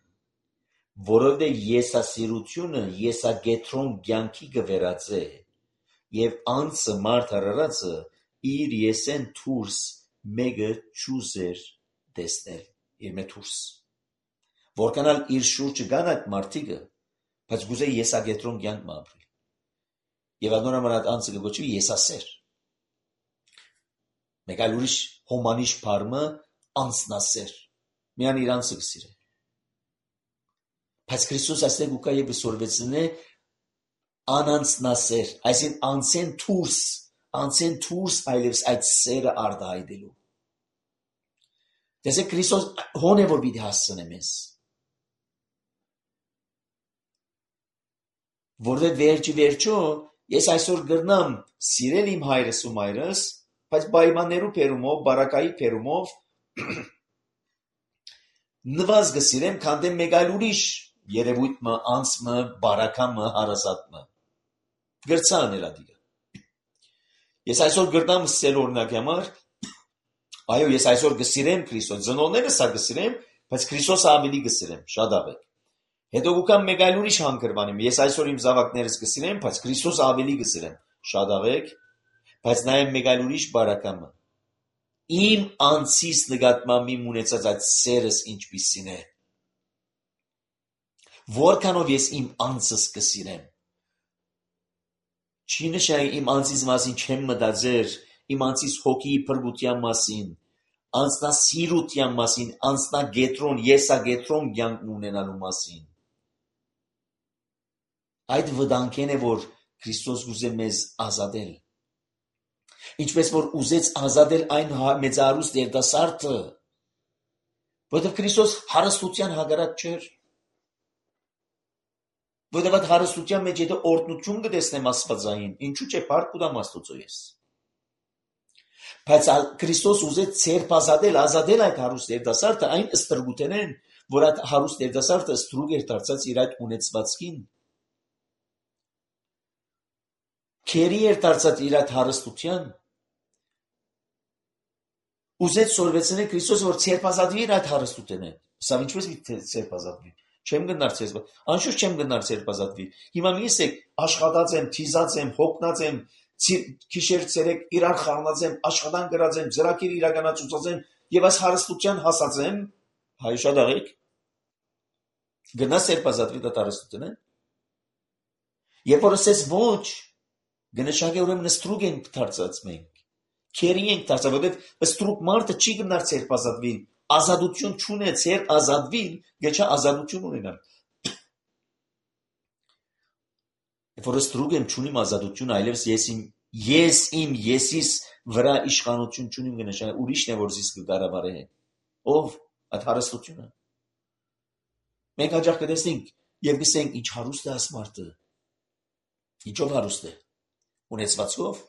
որովհետև եսասիրությունը եսագետրոն կյանքի գվերածե եւ անցը մարդ հարարածը իր եսեն թուրս մեկը ճուզեր տեսնել իր մեթուրս որքանալ իր շուրջը կան այդ մարդիկը բայց գուզե եսագետրոն կյանք մապրի եւ անորոման այդ անցը կոչվի եսասեր մեկ այլ ուրիշ հոմանիշ փարմը անցնասեր միան իր անցը կսիրե բայց Քրիստոս այստեղ ուկա եւ սորվեցնե անանցնասեր այսին անցեն թուրս այլևս այդ սերը արդահայտելու տեսեք Քրիստոս հոն է որ պիտի հասցնե մեզ որովհետև վերջո ես այսօր գրնամ սիրել իմ հայրս ու մայրս բայց պայմաններու փերումով բարակայի փերումով նվազ գսիրեմ քանդեմ մեկ այլ ուրիշ երևույթը անցը բարակամը հարազատը գրծա ներադիգա ես այսօր գրնամ սել օրինակ համար այո ես այսօր գսիրեմ Քրիստոս ծնողները սա գսիրեմ բայց Քրիստոսը ավելի գսիրեմ շատ ավետ հետո գուկամ մեկ այլ ուրիշ հանգրվանեմ ես այսօր իմ զավակներս գսիրեմ բայց Քրիստոսը ավելի գսիրեմ շատ ավետ բայց նաև մեկ այլ ուրիշ բարակամը իմ անցիս նկատմամբ իմ ունեցած այդ սերս ինչպիսին է որքանով ես իմ անցս կսիրեմ չի նշանակի իմ անցիս մասին չեմ մտածեր իմ անցիս հոգի փրկության մասին անձնասիրության մասին անձնագետրոն եսագետրոն կյանք ունենալու մասին այդ վտանգեն է որ Քրիստոս ուզե մեզ ազատել ինչպես որ ուզեց ազատել այն մեծարուստ երիտասարդը որովհետև Քրիստոս հարստության հակառակ չէր որովհետև այդ հարստության մեջ եթե օրհնություն կտեսնեմ աստվածային ինչու՞ չէ փառք կտամ Աստծո ես բայց Քրիստոս ուզեց ցերպազատել ազատել այդ հարուստ երիտասարդը այն ստրուկութենեն որ այդ հարուստ երիտասարդը ստրուկ էր դարձած իր այդ ունեցվածքին քերի էր դարձած իր այդ հարստության ուզեց սորվեցնել Քրիստոս որ ցերպազատվի իր այդ հարստութենեն սա ինչպես ցերպազատվի չեմ գնար ցերպազատվի անշուշտ չեմ գնար ցերպազատվի հիմա մի ասեք աշխատած եմ թիզած եմ հոգնած եմ քիշեր ցերեկ իրար խառնած եմ աշխատան գրած եմ ծրագիր իրականացուցած եմ եւ այս հարստության հասած եմ հայ շատ աղեք գնաս ցերպազատվի դա հարստութենեն երբ որ ասես ոչ գնշակե ուրեմն ստրուկ ենք դարձած մենք քերի ենք դարձած որովհետև ստրուկ մարդը չի գնար ցերպազատվի ազատություն չունե ցեր ազատվի գեչա ազատություն ունենալ որ ստրուկ եմ չունիմ ազատություն այլևս ես իմ եսիս վրա իշխանություն չունիմ գնշակե ուրիշն է որ զիս կգարավարե ով այդ հարստությունը մենք հաջող կտեսնենք եւ գսենք ինչ հարուստ է աս մարդը ինչով հարուստ է ունեցվածքով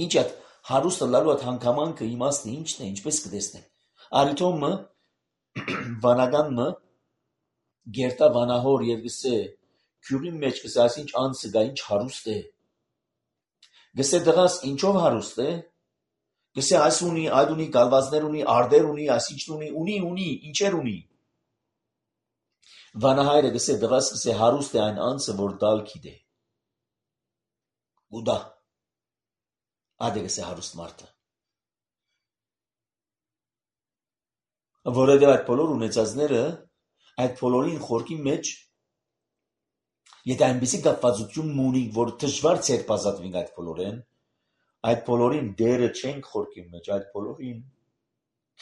ինչ է հարուստը լալու այդ հանգամանքը իմաստը ինչն է ինչպես կտեսնենք արիթոմը վանականը գերտա վանահոր եւ գսե քյուրի մեջ գսե այսինչ անցը գա ինչ հարուստ է գսե դղաս ինչով հարուստ է գսե այս ունի այդ ունի գալվածներ ունի արդեր ունի այսինչ ունի ինչեր ունի վանահայրը գսե դղաս գսե հարուստ է այն անցը որ դալ գիտե ուդա ադե գսե հարուստ մարդը որովհետև այդ բոլոր ունեցածները այդ բոլորին խորքի մեջ եթե այնպեսի կապվածություն ունի որ դժվար ցերպազատվենք այդ բոլորեն այդ բոլորին դերը չենք խորքի մեջ այդ բոլորին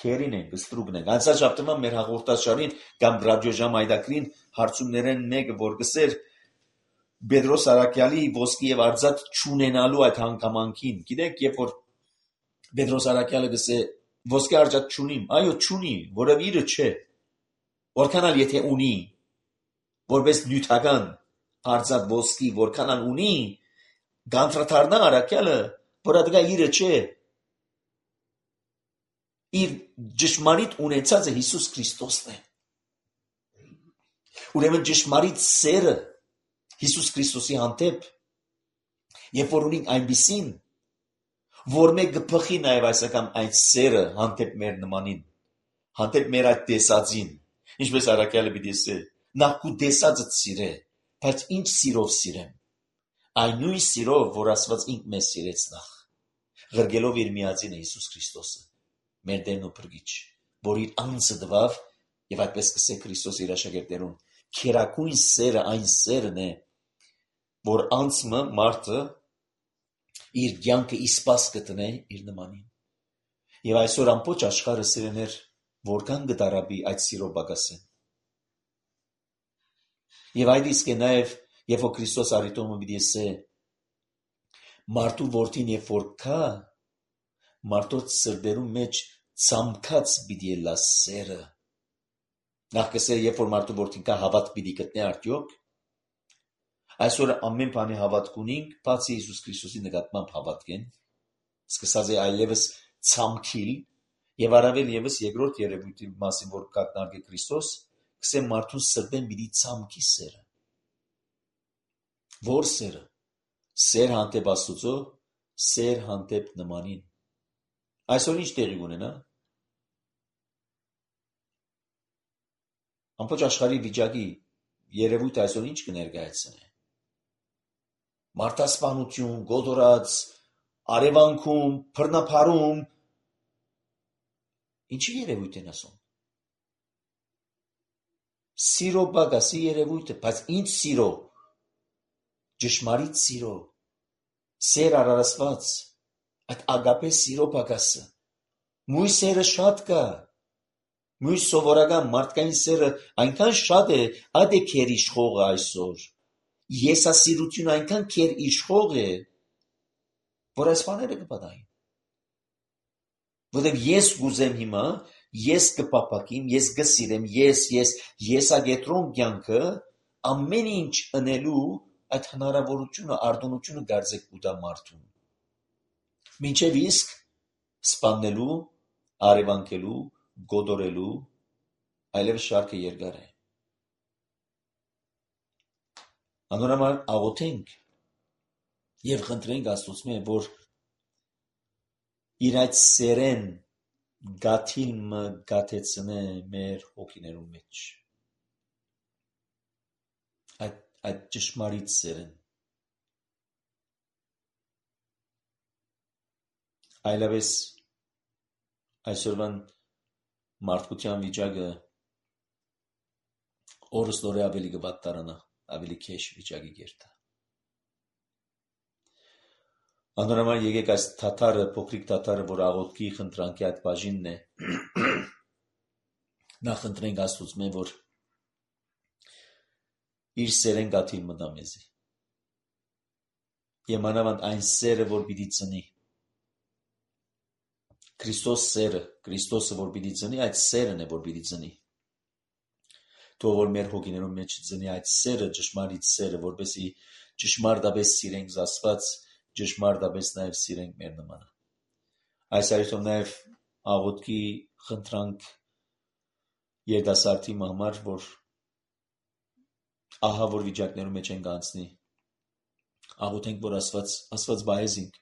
քերին ենք ստրուկն ենք անցած շաբթը մեր հաղորդաշարին կամ ռադիոժամ այդակրին հարցումներեն մեկը որ գսեր Պետրոս Արաքյալի ոսկի եւ արծաթ չունենալու այդ հանգամանքին։ Գիտեք, երբ որ Պետրոս Արաքյալը գսե ոսկի արծաթ չունիմ, այո, չունի, որով իրը չէ։ Որքանալ եթե ունի, որպես նյութական արծաթ ոսկի, որքանալ ունի, գանտրատարնա Արաքյալը, որ դա իրը չէ։ Իր ճշմարիտ ունեցածը Հիսուս Քրիստոսն է։ Ուրեմն ճշմարիտ սերը Հիսուս Քրիստոսի հանդեպ, երբ որ ունենք այնպիսին, որ մեկ կփխի նաև այս անգամ այդ սերը հանդեպ մեր նմանին, հանդեպ մեր այդ տեսածին, ինչպես Արաքյալը պիտի ասե, նախ քու տեսածը սիրե, բայց ինչ սիրով սիրեմ, այն նույն սիրով, որ Աստված ինք մեզ սիրեց նախ, ղրգելով իր միածինը Հիսուս Քրիստոսը, մեր Տերն ու Փրկիչ, որ իր անձը տվավ եւ այդպես կսե Քրիստոս իր աշակերտներուն, քերակույն սերը այն սերն է, որ անցմը մարդը իր կյանքը իսպաս կտնե իր նմանին։ Եվ այսօր ամբողջ աշխարհը սիրեներ որքան կդարաբի այդ սիրո բագասեն։ Եվ այդ իսկ է նաև, երբ որ Քրիստոս արիտոմը պիտի ասե, մարդու որդին երբ որ կա, մարդոց սրտերու մեջ ցամքած պիտի ելա սերը։ Նախ կսե, երբ որ մարդու որդին կա, հավատ պիտի գտնե արդյոք։ Այսօր ամեն բանի հավատք ունենք, բացի Հիսուս Քրիստոսի նկատմամբ հավատքեն, սկսած է այլևս ցամքիլ, եւ առավել եւս երկրորդ երևույթի մասին, որ կակնարկե Քրիստոս, կսե մարդուն սրտեն պիտի ցամքի սերը։ Որ սերը։ Սեր հանդեպ Աստուծո, սեր հանդեպ նմանին։ Այսօր ինչ տեղի ունենա։ Ամբողջ աշխարհի վիճակի երևույթը այսօր ինչ կներկայացնե։ Մարդասպանություն, գոդորած, արևանքում, բռնապարում, ինչի երևույթ են ասում։ Սիրո բագասի երևույթը, բայց ինչ սիրո, ճշմարիտ սիրո, սեր արարացված, այդ ագապե սիրո բագասը, մույս սերը շատ կա, մույս սովորական մարդկային սերը այնքան շատ է, այդ է քեր իշխողը այսօր, եսասիրությունը այնքան քեր իշխող է, որ այս բաները կպատահին։ Որտեղ ես գուզեմ հիմա, ես կպապակիմ, ես կսիրեմ, եսագետրոն կյանքը ամեն ինչ ընելու այդ հնարավորությունը, արտոնությունը գարձեք կուտա մարդուն։ Մինչև իսկ սպաննելու, արևանքելու, գոդորելու, այլևս շարքը երկար է։ Անորոմալ աղոթենք եւ խնդրենք Աստծո, որ իր այդ սերեն գաթիլը գաթեցնե մեր հոգիներու մեջ։ Այդ ճշմարիտ սերեն։ Այլևս այսօրվան մարդկության վիճակը օրստորե ավելի կվատտարանա, ավելի քեշ վիճակի գերտա։ Անորոմալ եկեք այս թաթարը, փոքրիկ թաթարը, որ աղոթքի խնդրանքի այդ բաժինն է, նա խնդրենք Աստծո, որ իր սերեն գաթիլ մտա մեզի։ Եվ մանավանդ այն սերը, որ պիտի ծնի։ Քրիստոս սերը, Քրիստոսը, որ պիտի ծնի, այդ սերն է, որ պիտի ծնի։ Թող որ մեր հոգիներում մեջ ծնի այդ սերը, ճշմարիտ սերը, որպեսզի ճշմարտապես սիրենք Աստված, ճշմարտապես նաև սիրենք մեր նմանը։ Այս այդով նաև աղոթքի խնդրանք երիտասարդի համար, որ ահա որ վիճակներում մեջ են գանցնի։ Աղոթենք, որ Աստված բայեզինք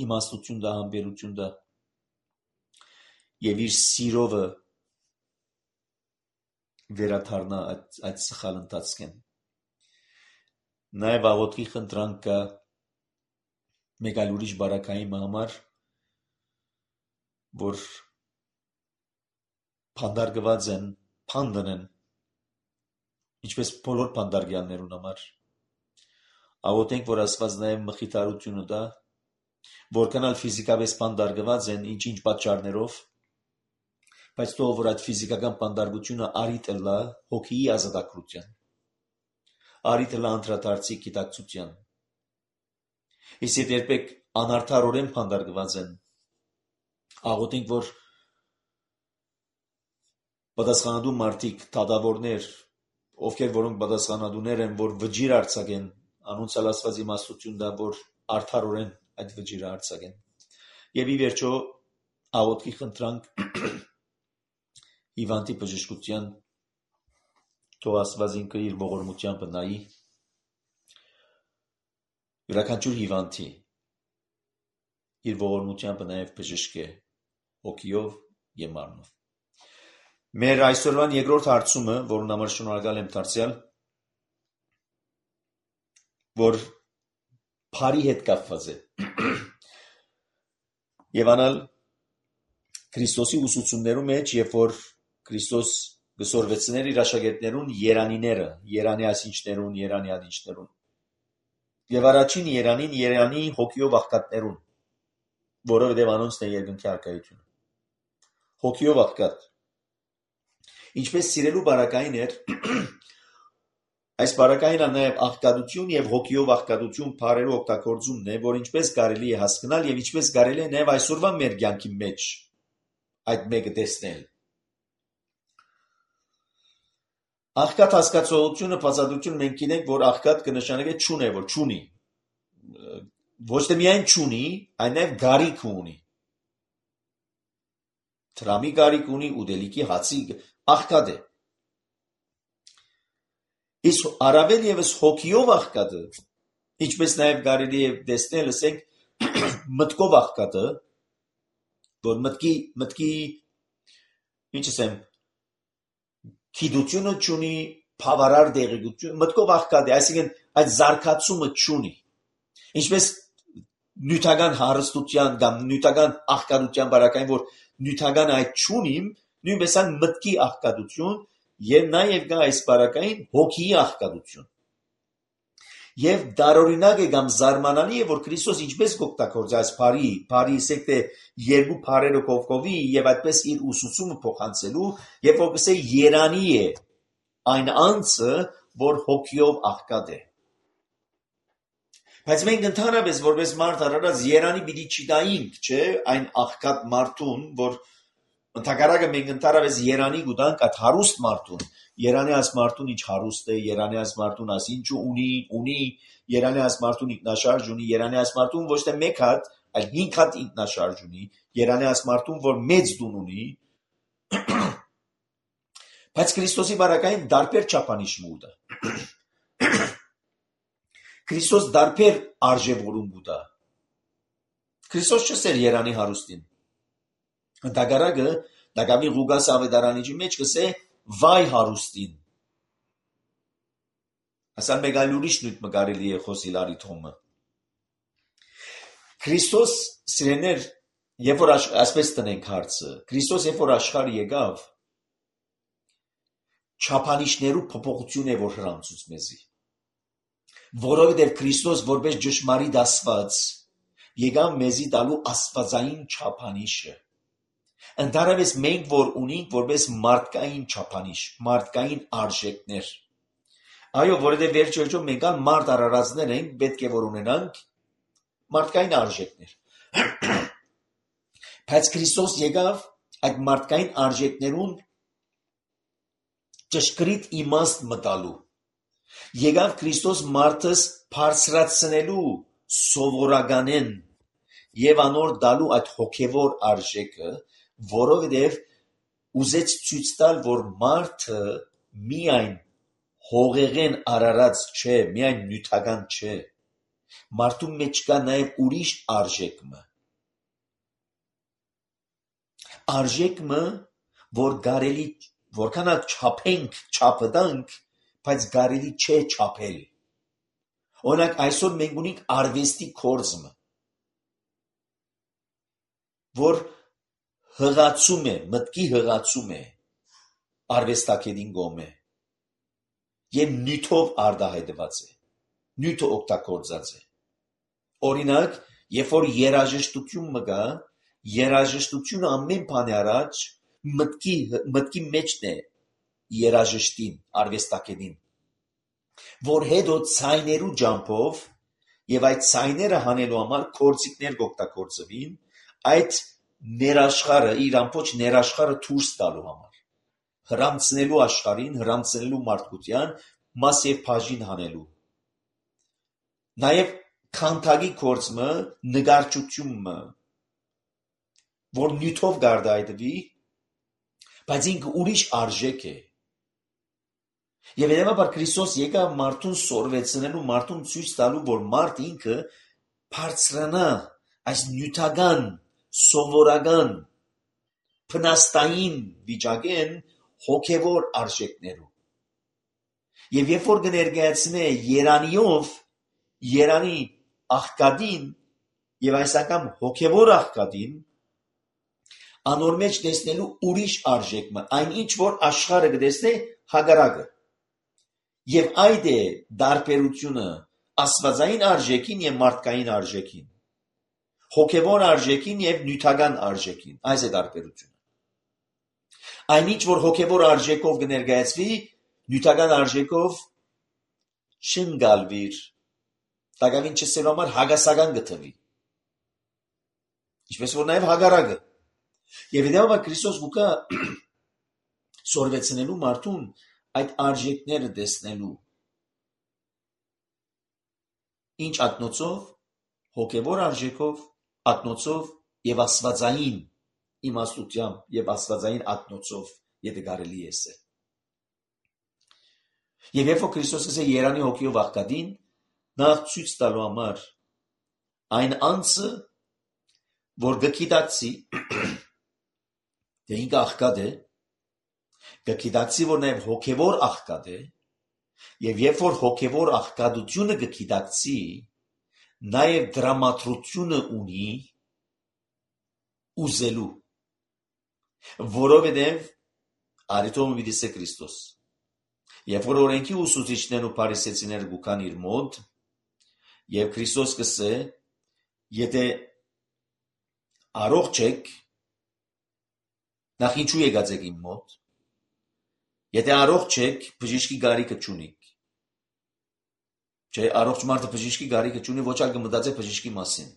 իմաստություն դա, համբերություն դա եւ իր սիրովը վերաթարնա այդ սխալ ընթացքեն։ Նաև աղոթքի խնդրանք կա մեկ այլ ուրիշ բարակային համար, որ փանդարգված են, փանդն են, ինչպես բոլոր փանդարգյալներուն համար։ Աղոթենք, որ Աստված նաև մխիթարությունը տա, որքանալ ֆիզիկապես փանդարգված են, ինչ-ինչ պատճառներով, բայց թող որ այդ ֆիզիկական փանդարգությունը արի տլա հոգիի ազատագրության, արիթը լանդրադարձի գիտակցության։ Իսկ եթե երբեք անարդարորեն փանդարգված են, աղոթենք, որ պատասխանատու մարդիկ, դատավորներ, ովքեր որոնք պատասխանատուներ են, որ վճիր արձակեն, անոնցալ Աստված իմաստություն տա, որ արդարորեն այդ վճիրը արձակեն։ Եվ ի վերջո աղոթքի խնդրանք հիվանդի բժշկության, թող Աստված ինքը իր ողորմությամբ նայի յուրաքանչյուր հիվանդի, իր ողորմությամբ նաև բժշկե հոգիով և մարմնով։ Մեր այսօրվան երկրորդ հարցումը, որն համար շնորհակալ եմ դարձյալ, որ փարի հետ կապված է։ Եվ անալ Քրիստոսի ուսուցումներու մեջ, երբ որ Քրիստոս գսորվեցներ իր աշակերտներուն երանիները, երանի ասինչներուն, երանի ադինչներուն։ Եվ առաջին երանին, երանի հոգիով աղքատներուն, որովհետև անոնցն է երկնքի առկայությունը։ Հոգիով աղքատ։ Ինչպես սիրելու բարակային էր, այս բարակայինը նաև աղքատություն և հոգիով աղքատություն բառերու օգտագործումն է, որ ինչպես կարելի է հասկանալ և ինչպես կարելի է նաև այսօրվա մեր կյանքի մեջ այդ մեկը տեսնել։ Աղքատ հասկացողությունը, բացատրությունը մենք գիտենք, որ աղքատ կնշանակե չունե, որ չունի։ Ոչ թե միայն չունի, այլ նաև գարիք ունի։ Տրամի գարիք ունի, ուտելիքի հացի աղքատ է։ Իսկ առավել ևս հոգիով աղքատը, ինչպես նաև կարելի է տեսնել, ասենք մտքով աղքատը, որ մտքի ինչ ասեմ, գիտությունը չունի, բավարար տեղեկություն, մտքով աղքատ է, այսինքն այդ զարգացումը չունի։ Ինչպես նյութական հարստության կամ նյութական աղքատության բարակային, որ նյութական այդ չունիմ, նույնպես այն մտքի աղքատություն եւ նաեւ կա այս բարակային հոգիի աղքատություն։ Եվ դարօրինակ է կամ զարմանալի է, որ Քրիստոս ինչպես կօգտագործի այս բարի ասեք թե երկու բարերը կողքովի եւ այդպես իր ուսուցումը փոխանցելու, եւ որ կսե երանի է այն անձը, որ հոգիով աղքատ է։ Բայց մենք ընդհանրապես որպես մարդ առած երանի պիտի չտայինք, չէ, այն աղքատ մարդուն, որ ընդհակառակը մենք ընդհանրապես երանի կուտանք այդ հարուստ մարդուն։ Երանի այս մարդուն ինչ հարուստ է, երանի այս մարդուն աս ինչ ունի, երանի այս մարդուն ինքնաշարժ ունի, երանի այս մարդուն ոչ թե մեկ հատ, այլ 5 հատ ինքնաշարժ ունի, երանի այս մարդուն, որ մեծ դուն ունի։ Բայց Քրիստոսի բարակային դարբեր չափանիշ մուտը։ Քրիստոս դարբեր արժևորում կուտա։ Քրիստոս չսեր երանի հարուստին։ Ընդհակառակը Դակավի Ղուկաս ավետարանիչի մեջ կսե վայ հարուստին։ Ասան մեկ այլ ուրիշ նույթ մկարելի է խոսիլ արիթոմը։ Քրիստոս սիրեներ, երբ որ ասպես տնենք հարցը, Քրիստոս երբ որ աշխարհ եկավ, չափանիշներու փոփոխություն է որ հրամցուց մեզի։ Որովհետև Քրիստոս որպես ճշմարիտ Աստված եկավ մեզի տալու աստվածային չափանիշը։ Ընդհանրապես մենք որ ունենք որպես մարդկային չափանիշ, մարդկային արժեքներ։ Այո, որովհետև վերջո մենք ալ մարդ արարածներ ենք, պետք է որ ունենանք մարդկային արժեքներ։ Բայց Քրիստոս եկավ այդ մարդկային արժեքներուն ճշգրիտ իմաստ մտալու։ Եկավ Քրիստոս մարդս բարձրացնելու սովորականեն եւ անոր դալու այդ հոգեվոր արժեքը, որովհետեւ ուզեց ցույց տալ, որ մարդը միայն հողեղեն արարած չէ, միայն նյութական չէ։ Մարդու մեջ կա նաեւ ուրիշ արժեքը։ Արժեքը, որ կարելի որքան չափենք, չափդանք, բայց կարելի չէ չափել։ Օրինակ այսօր մենք ունենք արվեստի կորզը, որ հղացում է, մտքի հղացում է արվեստակետին գոմե եւ նյութով արդահայտված է, նյութը օգտագործած է։ Օրինակ, երբ որ երաժշտություն մգա, երաժշտությունը ամեն բանի առաջ մտքի մեջն է երաժշտին, արվեստակետին։ որ հետո ցայներու ջամփով եւ այդ ցայները հանելու համար կորցիկներ կօգտագործվին այդ ներաշխարը իր ամբողջ ներաշխարը դուրս տալու համար հրամցնելու աշխարհին հրամցնելու մարդկության մաս եւ բաժին հանելու նաեւ քանթագի կորցմը նգարչությունը որ նյութով գարդայդվի բայց ինքը ուրիշ արժեք է եւ հետեւաբար Քրիստոս եկավ մարդուն սորվեցնելու մարդուն ցույց տալու որ մարդ ինքը բարձրանա այս նյութական սովորական փնաստային վիճակեն հոգևոր արժեքներով եւ երբ որ կներկայացնե Երանիով Երանի աղկադին եւ այս անգամ հոգևոր աղկադին անոր մեջ տեսնելու ուրիշ արժեքը այն ինչ որ աշխարհը կտեսնե հագարակը եւ այդ է դարբերությունը աստվածային արժեքին եւ մարդկային արժեքին հոգևոր արժեքին եւ նյութական արժեքին այս է դարբերությունը այն ինչ որ հոգևոր արժեքով կներկայացվի նյութական արժեքով չընկալվիր տակավին չսելու համար հագասական գտնվի ինչպես որ նաեւ հագարակը եւ հետեւաբար Քրիստոս գուկա սորվեցնելու մարդուն այդ արժեքները տեսնելու ինչ ակնոցով հոգևոր արժեքով ակնոցով եւ աստվածային իմաստությամբ եւ աստվածային ակնոցով եթե կարելի է ասել եւ երբ որ Քրիստոսը ասել Երանի հոգիով աղկադին նախ ցույց տալու համար այն անձը որ գիտակցի թե ինքը աղկադ է գիտակցի որ նաեւ հոգևոր աղկադ է եւ երբ որ հոգևոր աղկադությունը գիտակցի նաեւ դրամատրությունը ունի ուզելու որովհետեւ արիտոմը դիսե Քրիստոս երբ որ օրենքի ուսուցիչներն ու փարիսեցիները գուքան իր մոտ եւ Քրիստոս կսե եթե առողջ եք նախ ինչու եկած եք իմ մոտ եթե առողջ եք բժիշկի գարիքը չունիք չէ առողջ մարդը բժիշկի գարիքը չունի ոչ այլ կմտածե բժիշկի մասին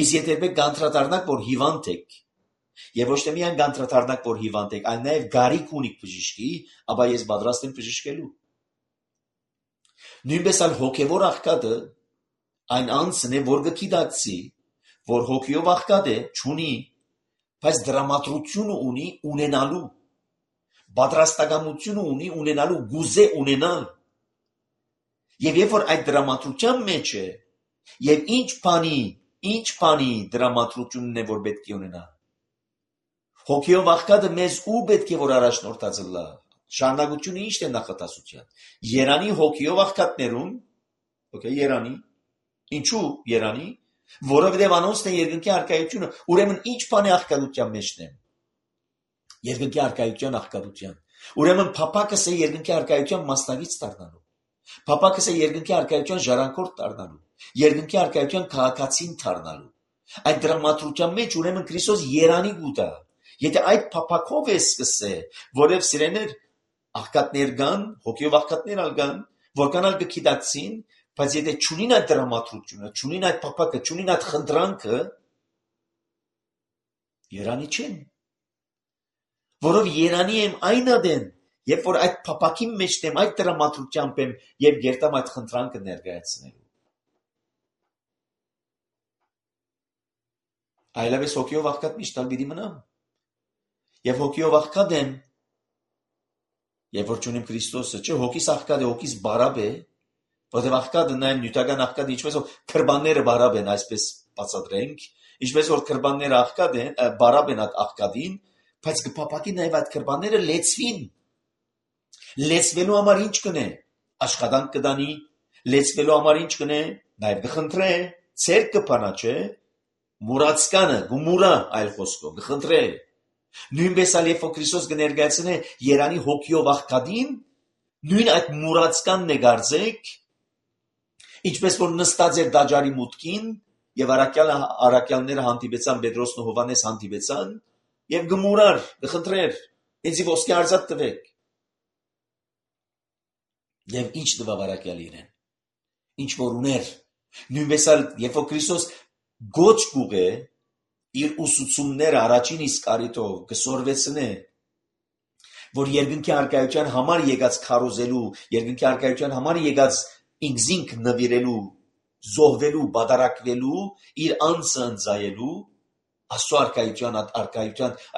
իսկ եթե եք կանտրադառնաք որ հիվանդ եք եւ ոչ թե միայն կանտրադառնաք որ հիվանդ եք այլ նաեւ գարիք ունիք բժիշկի ապա ես պատրաստ եմ բժշկելու նույնպես այլ հոգևոր աղքատը այն անձն է որ գիտակցի որ հոգիով աղքատ է չունի բայց դրամատրությունը ունի ունենալու պատրաստակամությունը ունի ունենալու գուզե ունենալ եւ երբ որ այդ դրամատրության մեջ է եւ ինչ բանի դրամատրությունն է որ պետք է ունենա հոգիով աղքատը մեզ ու պետք է որ առաջնորդած լա շարունակությունը ի՞նչն է նախատասության Երանի հոգիով աղքատներուն Երանի ինչու Երանի որովհետև անոնցն է երկնքի առկայությունը ուրեմն ինչ բան է աղքատության մեջն է երկնքի առկայության աղքատության ուրեմն փապակս է երկնքի առկայության մասնագից դառնալու փապակս է երկնքի առկայության ժառանգորդ դառնալու երկնքի առկայության քաղաքացին դառնալու այդ դրամատրության մեջ ուրեմն Քրիստոս Երանի գուտա եթե այդ փապակով է սկսե որև սիրեներ աղքատներ կան հոգիով աղքատներ ալգան որքանալ կգիտակցին բայց եթե չունին այդ դրամատրությունը չունին այդ փապակը չունին այդ խնդրանքը Երանի չեն որով Երանի եմ այն ադեն երբ որ այդ փապակի մեջ եմ այդ դրամատրությամբ եմ եւ երտամ այդ խնդրանքը ներկայացնելու այլևս հոգիով աղքատ միշտ ալ պիտի մնամ եւ հոգիով աղքատ եմ երբ որ չունիմ Քրիստոսը չէ հոգիս աղքատ է հոգիս բարապ է որտեղ աղքատը նաեւ նյութական աղքատ ինչպես որ քրբանները բարապ են այսպես բացատրենք ինչպես որ քրբանները աղքատ են բարապ են աղքատին բայց կփապակի նաեւ այդ քրբանները լեցվին լեցվելու համար ինչ կնե աշխատանք կդանի լեցվելու համար ինչ կնե նաեւ կխնդրե ցերկ կփանա չէ մուրացկանը գումուրա այլ խոսքով կխնդրե նույնպես ալ երբ որ Քրիստոս կներկայացնե Երանի հոգիով աղքատին նույն այդ մուրացկանն է գարձեք ինչպես որ նստած էր դաջարի մուտքին եւ առաքյալները հանդիպեցան Պետրոսն ու Հովանես հանդիպեցան եւ գմուրար կխնդրեր ինձի ոսկե արծաթ տվեք Եվ ինչ տվավարակյալ իրեն, ինչ որ ուներ, նույնպես էլ երբ որ Քրիստոս գոչ կուղե իր ուսուցումները առաջին իսկ առիթով կսորվեցնե, որ երկնքի առկայության համար եկած քարոզելու, երկնքի առկայության համար եկած ինքզինք նվիրելու, զոհվելու, բադարակվելու, իր անձը ընծայելու, Աստծո առկայության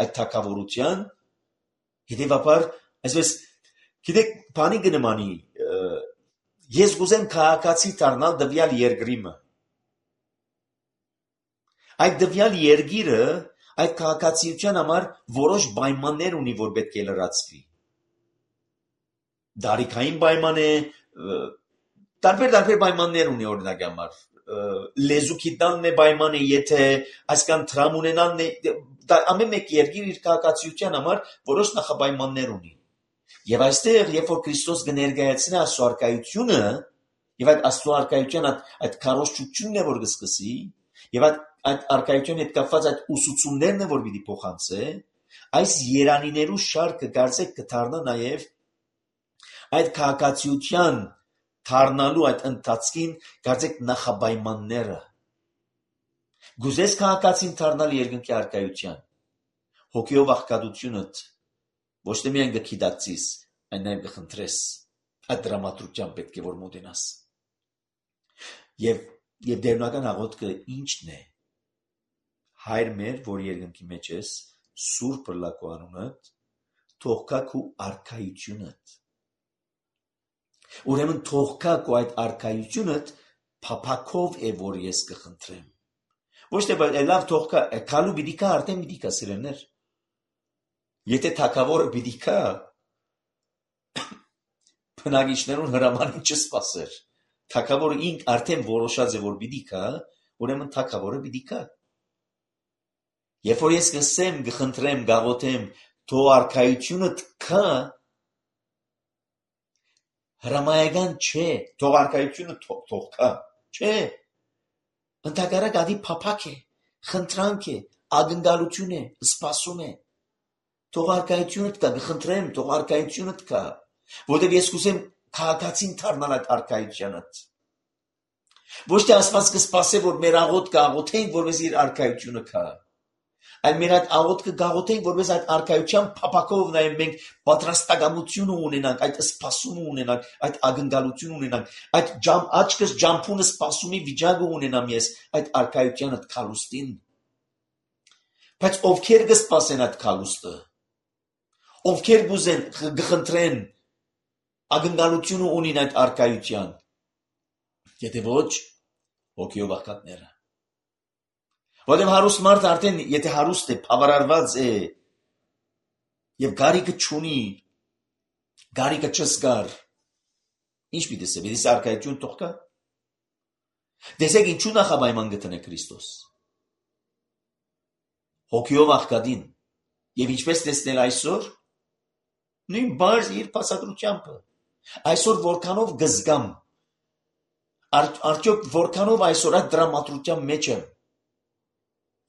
այդ թագավորության, հետևաբար, այսպես, գիտեք, բանի կնմանի, ես կուզեմ քաղաքացի դառնալ տվյալ երկրիմը։ Այդ տվյալ երկիրը այդ քաղաքացիության համար որոշ պայմաններ ունի, որ պետք է լրացվի։ Դարիքային պայման է, տարբեր պայմաններ ունի օրինակ համար։ Լեզու գիտնալն է պայման է, եթե այսքան դրամ ունենալն է, ամեն մեկ երկիր իր քաղաքացիության համար որոշ նախապայմաններ ունի։ Եվ այստեղ, երբ որ Քրիստոս կներկայացնի Աստծո առկայությունը, եւ այդ Աստծո առկայության այդ քարոզչությունն է, որ կսկսի, եւ այդ առկայության հետ կապված այդ ուսուցումներն է, որ պիտի փոխանցե, այս երանիներու շարքը կարծեք կդառնա նաեւ այդ քաղաքացիության դառնալու այդ ընթացքին կարծեք նախապայմանները։ Գուզես քաղաքացին դառնալ երկնքի առկայության, հոգիով աղքատությունդ ոչ թե միայն կգիտակցիս, այլ նաև կխնդրես, այդ դրամատրությամբ պետք է որ մոտենաս։ Եվ դերունական աղոթքը ի՞նչն է։ Հայր մեր, որ երկնքի մեջ ես, սուրբ լակու անունդ, թող գա քու առկայությունդ։ Ուրեմն թող գա քու այդ առկայությունդ փափակով է, որ ես կխնդրեմ։ Ոչ թե լավ թող գա, քալու պիտի գա, արդեն պիտի գա սիրելիներ։ Եթե թագավորը պիտի գա, բնակիչներուն հրամանին չսպասեր։ Թագավորը ինք արդեն որոշած է, որ պիտի գա, ուրեմն թագավորը պիտի գա։ Երբ որ ես կսեմ, կխնդրեմ, գաղոթեմ, թող առկայությունդ գա, հրամայական չէ, թող առկայությունը թող գա, չէ։ Ընդհակառակ ադի փափակ է, խնդրանք է, ակնկալություն է, սպասում է։ Թող առկայությունդ կա, կխնդրեմ, թող առկայությունդ կա, որտեղ ես կուզեմ քաղաքացին դառնալ այդ առկայությանդ։ Ոչ թե Աստված կսպասե, որ մեր աղոթքը աղոթենք, որպես իր առկայությունը կա, այլ մեր այդ աղոթքը գաղոթենք, որպես այդ առկայության փափակով նաև մենք պատրաստակամություն ունենանք, այդ սպասումը ունենանք, այդ ակնկալություն ունենանք, այդ աչքս ջամփունը սպասումի վիճակը ունենամ ես այդ առկայությանդ քալուստին։ Բայց ովքեր կսպասեն այդ քալուստը, ովքեր կուզեն կխնդրեն ակնկալություն ունին այդ առկայության, եթե ոչ հոգիով աղքատները։ Որտեղ հարուստ մարդ արդեն, եթե հարուստ է, բավարարված է եւ գարիկը չունի, գարիկը չզգար, ինչ պիտի ասե, պիտի առկայություն թող գա։ Դեսեք ինչու նախապայման գտնե Քրիստոս։ Հոգիով աղքատին եւ ինչպես տեսնել այսօր, նույն բարձ իր փաստադրությամբ։ Այսօր որքանով գզգամ, արդյոք որքանով այսօր այդ դրամատրության մեջ եմ,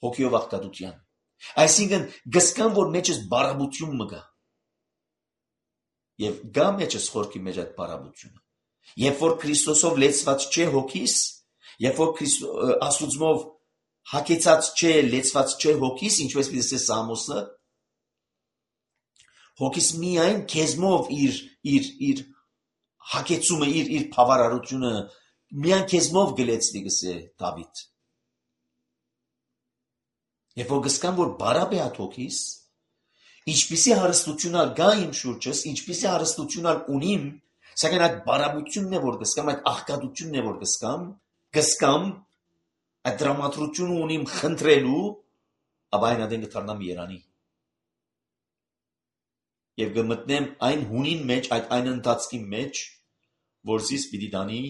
հոգիով աղքատության։ Այսինքն գզգամ, որ մեջս բարաբություն մը գա։ Եվ գա մեջս խորքի մեջ այդ բարաբությունը։ Երբ որ Քրիստոսով լեցված չէ հոգիս, երբ որ Աստուծմով հագեցած չէ, լեցված չէ հոգիս, ինչպես պիտի Սամոսը, հոգիս միայն քեզմով իր հագեցումը, իր բավարարությունը միայն քեզմով գլեցնի գսե Դավիթ։ Երբ որ գսկամ, որ բարապ է այդ հոգիս, ինչպիսի հարստությունալ գա իմ շուրջս, ինչպիսի հարստությունալ ունիմ, սակայն այդ բարապությունն է, որ գսկամ, այդ աղքատությունն է, որ գսկամ, այդ դրամատրությունը ունիմ խնդրելու, ապա այն ադեն կդառնամ երանի։ Եվ կմտնեմ այն հունին մեջ, այն ընթացքի մեջ, որ զիս պիտի դանի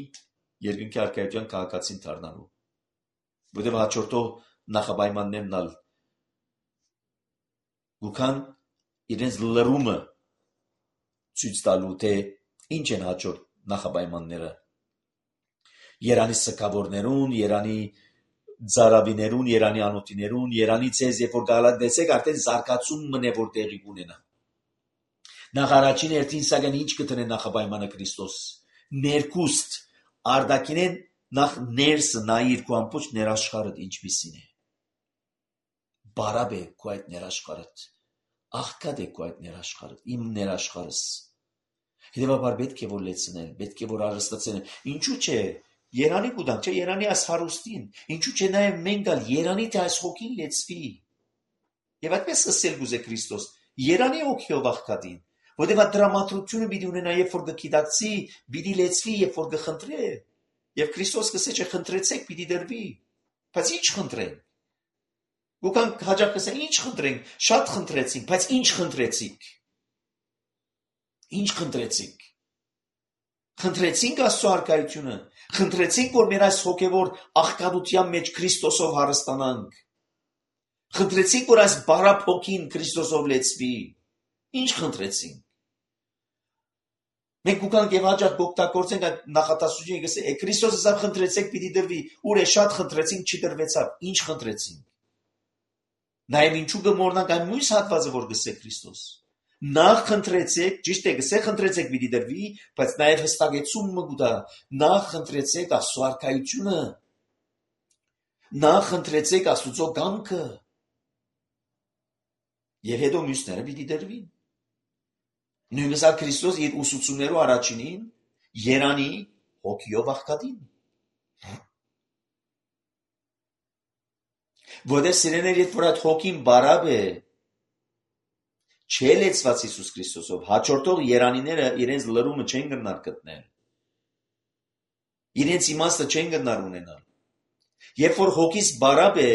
երկնքի առկայության քաղաքացին դառնալու։ Որտեղ հաջորդող նախապայմաններն ալ գուքան իրենց լրումը ցույց տալու, թե ինչ են հաջորդ նախապայմանները։ Երանի սկավորներուն, երանի ծարավիներուն, երանի անոթիներուն, երանի ցեզ, երբ որ գալատեսեք, արդեն զարգացում մնե որ տեղի կունենա։ Նախ առաջին հերթին սակայն ինչ կտնե նախապայմանը Քրիստոս, Ներքուստ արդակինեն նախ ներսը նայիր քո ամբողջ ներաշխարհդ ինչպիսին է։ Բարապ է քո այդ ներաշխարհդ։ Աղքատ է քո այդ ներաշխարհդ, իմ ներաշխարհս։ Հետևաբար պետք է որ լեցնել, պետք է որ արհստացնել։ Ինչու՞ չէ Երանի կուտանք, չէ Երանի այս հարուստին, ինչու՞ չէ նաև մենք գալ Երանի թե այս հոգին լեցվի։ Եվ այդպես ասել գուզե Քրիստոս, Երանի հոգիով աղքատին, որտեղ այդ դրամատրությունը պիտի ունենա, երբ որ գիտակցի, պիտի լեցվի, երբ որ գխնդրե։ Եվ Քրիստոս կսե չէ խնդրեցեք, պիտի դրվի։ Բայց ի՞նչ խնդրենք։ Գուքան հաջող կսեն, ի՞նչ խնդրենք, շատ խնդրեցինք, բայց ի՞նչ խնդրեցիք։ Ինչ խնդրեցիք։ Խնդրեցինք Աստծո առկայությունը, խնդրեցինք, որ մեր այս հոգևոր աղքատության մեջ Քրիստոսով հարստանանք։ Խնդրեցինք, որ այս բարապ հոգին Քրիստոսով լեցվի։ Ինչ խնդրեցինք։ Մենք ուկանք եւ հաջող կօգտագործենք այդ նախատասությունը, գսե Քրիստոսը սա խնդրեցեք, պիտի դրվի։ Ուր է շատ խնդրեցինք, չդրվեցավ։ Ինչ խնդրեցինք։ Նաեւ ինչու կմոռնանք այն մյուս հատվածը, որ գսե Քրիստոս։ Նախ խնդրեցեք, ճիշտ է, գսե խնդրեցեք պիտի դրվի, բայց նաեւ հստակեցումը կուտա։ Նախ խնդրեցեք Աստծո առկայությունը։ Նախ խնդրեցեք Աստծո կամքը։ Եվ հետո մյուսները պիտի դրվին։ Նույնպես Քրիստոս իր ուսուցումներու առաջինին Երանի հոգիով աղքատին։ Որտեղ սիրեներ, երբ որ այդ հոգին բարապ է, չէ լեցված Հիսուս Քրիստոսով, հաջորդող երանիները իրենց լրումը չեն գնար գտնել։ Իրենց իմաստը չեն գնար ունենալ։ Երբ որ հոգիս բարապ է,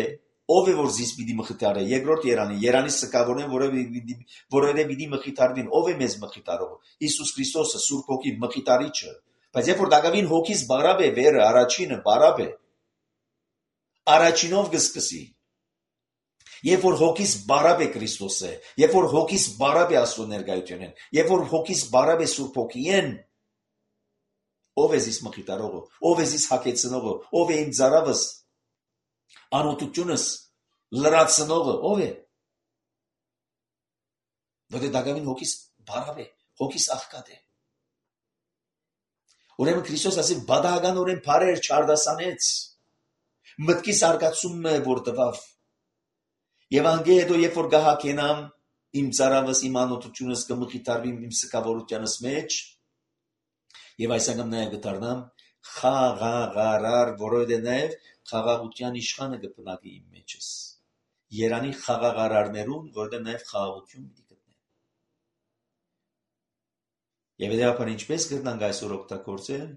ով է որ զիս պիտի մխիթարե, երկրորդ Երանի սկավորեն, որովհետև պիտի մխիթարվին, ով է մեզ մխիթարողը, Հիսուս Քրիստոսը, Սուրբ Հոգին, մխիթարիչը, բայց երբ որ դակավին հոգիս բարապ է, վերը, առաջինը բարապ է, առաջինով կսկսի, երբ որ հոգիս բարապ է Քրիստոսը, երբ որ հոգիս բարապ է Աստծո ներկայությունն, երբ որ հոգիս բարապ է Սուրբ Հոգին, ով է զիս մխիթարողը, ով է զիս հագեցնողը, ով է իմ ծարավս, անօթությունս լրացնողը ով է։ Որտե դակավին հոգիս բարապ է, հոգիս աղքատ է։ Ուրեմն Քրիստոս ասի բադահականորեն բարեր չարդասանեց։ Մտքիս արգացումն է որ տվավ։ Եվ անգե հետո երբ որ գահակենամ իմ ծարավս, իմ անօթությունս կմխիթարվի իմ սկավորությանս մեջ, եւ այս անգամ նաեւ կդառնամ խաղաղարար, որովհետեւ նաեւ խաղաղության իշխանը կբնակի իմ մեջս։ Երանի խաղաղարարներուն, որովհետեւ նաեւ խաղաղություն պիտի գտնեն։ Եվ հետեւաբար ինչպես կգտնանք այսօր օգտագործել,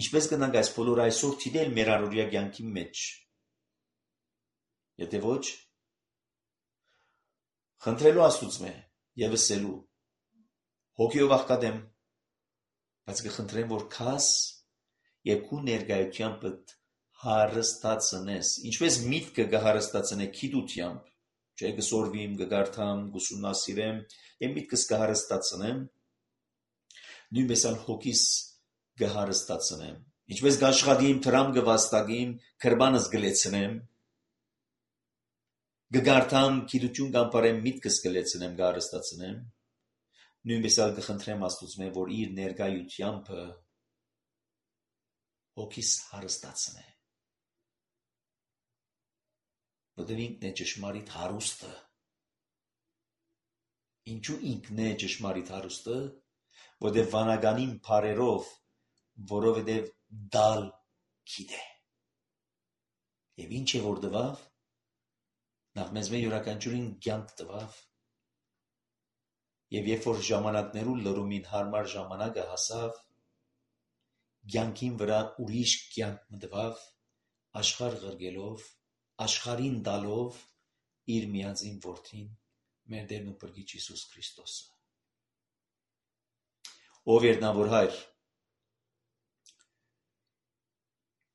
ինչպես կգտնանք այս բոլոր այսօր թիդել մեր առօրյա կյանքի մեջ։ Եթե ոչ, խնդրելու Աստծո եւ ասելու հոգիով աղքատ եմ, բայց կխնդրեմ որ քաս եւ քու ներկայությամբ հարստացնես, ինչպես միտքը կհարստացնե գիտությամբ, չէ կսորվիմ, կգարթամ, կուսումնասիրեմ եւ միտքս կհարստացնեմ, նույնպես ալ հոգիս կհարստացնեմ, ինչպես կաշխատիմ, տրամ կվաստակիմ, քրբանս կլեցնեմ, կգարթամ, գիտություն կանպարեմ, միտքս կլեցնեմ, կհարստացնեմ, նույնպես ալ կխնդրեմ Աստծո որ իր ներկայությամբ հոգիս հարստացնե։ Որտեղ ինքն է ճշմարիտ հարուստը։ Ինչու ինքն է ճշմարիտ հարուստը, որտեղ վանականին բարերով, որովհետև դալ գիտե։ Եվ ինչ է որ տվավ, նախ մեզ մեր յուրաքանչյուրին կյանք տվավ, եւ երբ որ ժամանակներու լրումին հարմար ժամանակը հասավ, կյանքին վրա ուրիշ կյանք մտավ, աշխարհ ղրգելով, աշխարհին տալով իր միածին որդին, մեր Տերն ու Փրկիչ Հիսուս Քրիստոսը։ Ով երնավոր հայր,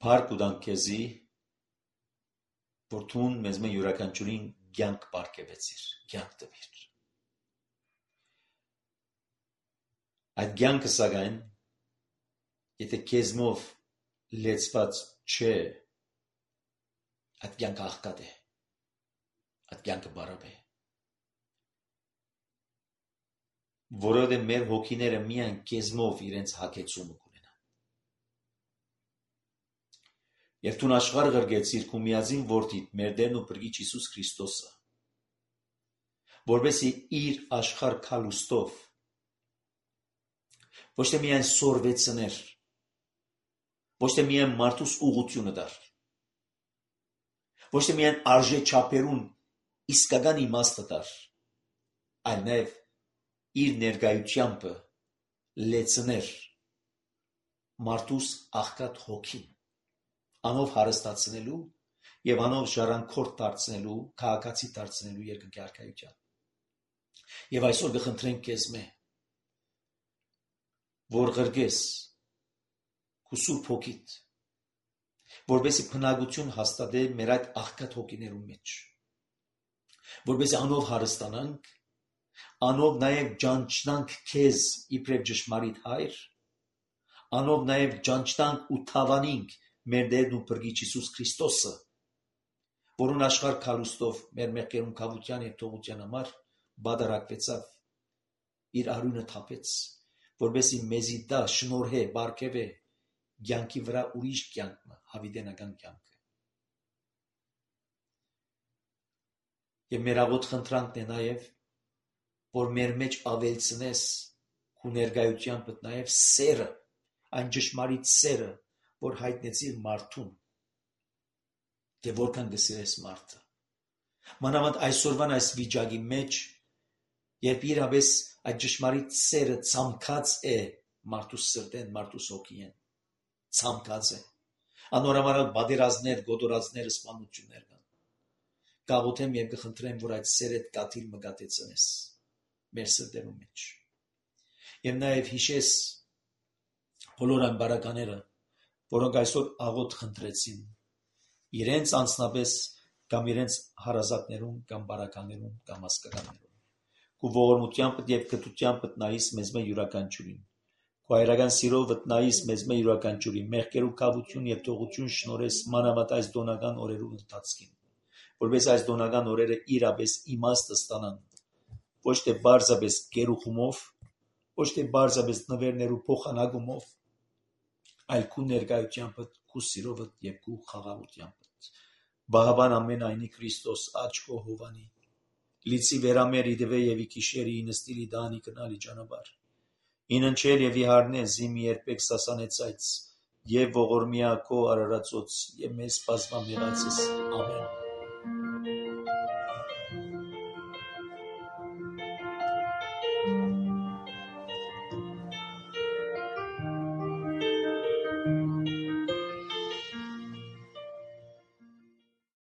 փառք ու տանք քեզի, որ դու մեզ մեր յուրաքանչյուրին կյանք պարգևեցիր, կյանք տվիր։ Այդ կյանքը սակայն, եթե քեզմով լեցված չէ, այդ կյանքը աղքատ է, այդ կյանքը բարապ է։ որովհետև մեր հոգիները միայն քեզմով իրենց հագեցումը կունենան։ Եվ դու աշխարհ ղրգեցիր քու միածին որդիդ, մեր Տերն ու Փրկիչ Հիսուս Քրիստոսը, որպեսզի իր աշխարհ քալուստով ոչ թե միայն սորվեցներ, ոչ թե միայն մարդուս ուղղությունը դար, ոչ թե միայն արժե չափերուն իսկական իմաստը դար, այլ նաև իր ներկայությամբ լեցներ մարդուս աղքատ հոգին, անով հարստացնելու եւ անով ժառանգորդ դարձնելու, քաղաքացի դարձնելու երկնքի արքայության։ Եվ այսօր կխնդրենք քեզ որ ղրգես քու սուրբ հոգիդ, որպեսզի բնակություն հաստատե մեր այդ աղքատ հոգիներու մեջ, որպեսզի անով հարստանանք, անով նաև ճանչնանք քեզ իբրև ճշմարիտ հայր, անով նաև ճանչնանք ու թավանինք մեր Տերն ու Փրկիչ Հիսուս Քրիստոսը, որուն աշխարհ քալուստով մեր մեղքերուն կավության եւ թողության համար բادرակվեցավ, իր արյունը թափեց, որպեսզի մեզի դա շնորհե, բարգեւե կյանքի վրա ուրիշ կյանքը, հավիտենական կյանքը։ Եվ մեր աղոտ խնդրանքն է նաև, որ մեր մեջ ավելցնես քու ներկայությամբ նաև սերը, այն ճշմարիտ սերը, որ հայտնեցիր մարդուն, թե որքան կսիրես մարդը։ Մանավանդ այսօրվան այս վիճակի մեջ, երբ իրապես այդ ճշմարիտ սերը ցամքած է մարդուս սրտեն, մարդուս հոգիեն, ցամքած է։ Անորոմանալ բادرազներ, գոտորածներ, սպանություններ կան։ Կաղոթեմ եւ կխնդրեմ, որ այդ սերդ կաթիլ մգատեցնես մեր սրտերու մեջ։ Եվ նաև հիշես բոլոր այն բարակաները, որոնք այսօր աղոթ խնդրեցին, իրենց անձնապես կամ իրենց հարազատներուն կամ բարականերուն կամ ասկականներուն։ Քու ողորմությամբ եւ կտությամբ նայիս մեզ մե յուրաքանչյուրին։ Քու հայրական սիրով նայիս մեզ մե յուրաքանչյուրին, մեղքերու կավություն եւ թողություն շնորհես մանավանդ այս դոնական օրերու ընթացքին, որպես այս դոնական օրերը իրապես իմաստը ստանան, ոչ թե բարձրապես գերուխումով, ոչ թե բարձրապես նվերներու փոխանակումով, այլ քու ներկայությամբ, քու սիրով եւ քու խաղաղությամբ։ Բահաբան ամենայնի Քրիստոս աչքո հովանի, լիցի վերամեր իդվե եւ իքիշերի ինստիլի դանի կնալի ճանապար, ինընչել եւ իհարնե զիմի երբեք սասանեցայց եւ ողորմիա քո արարածոց եւ մեզ բազմամեղացես ամեն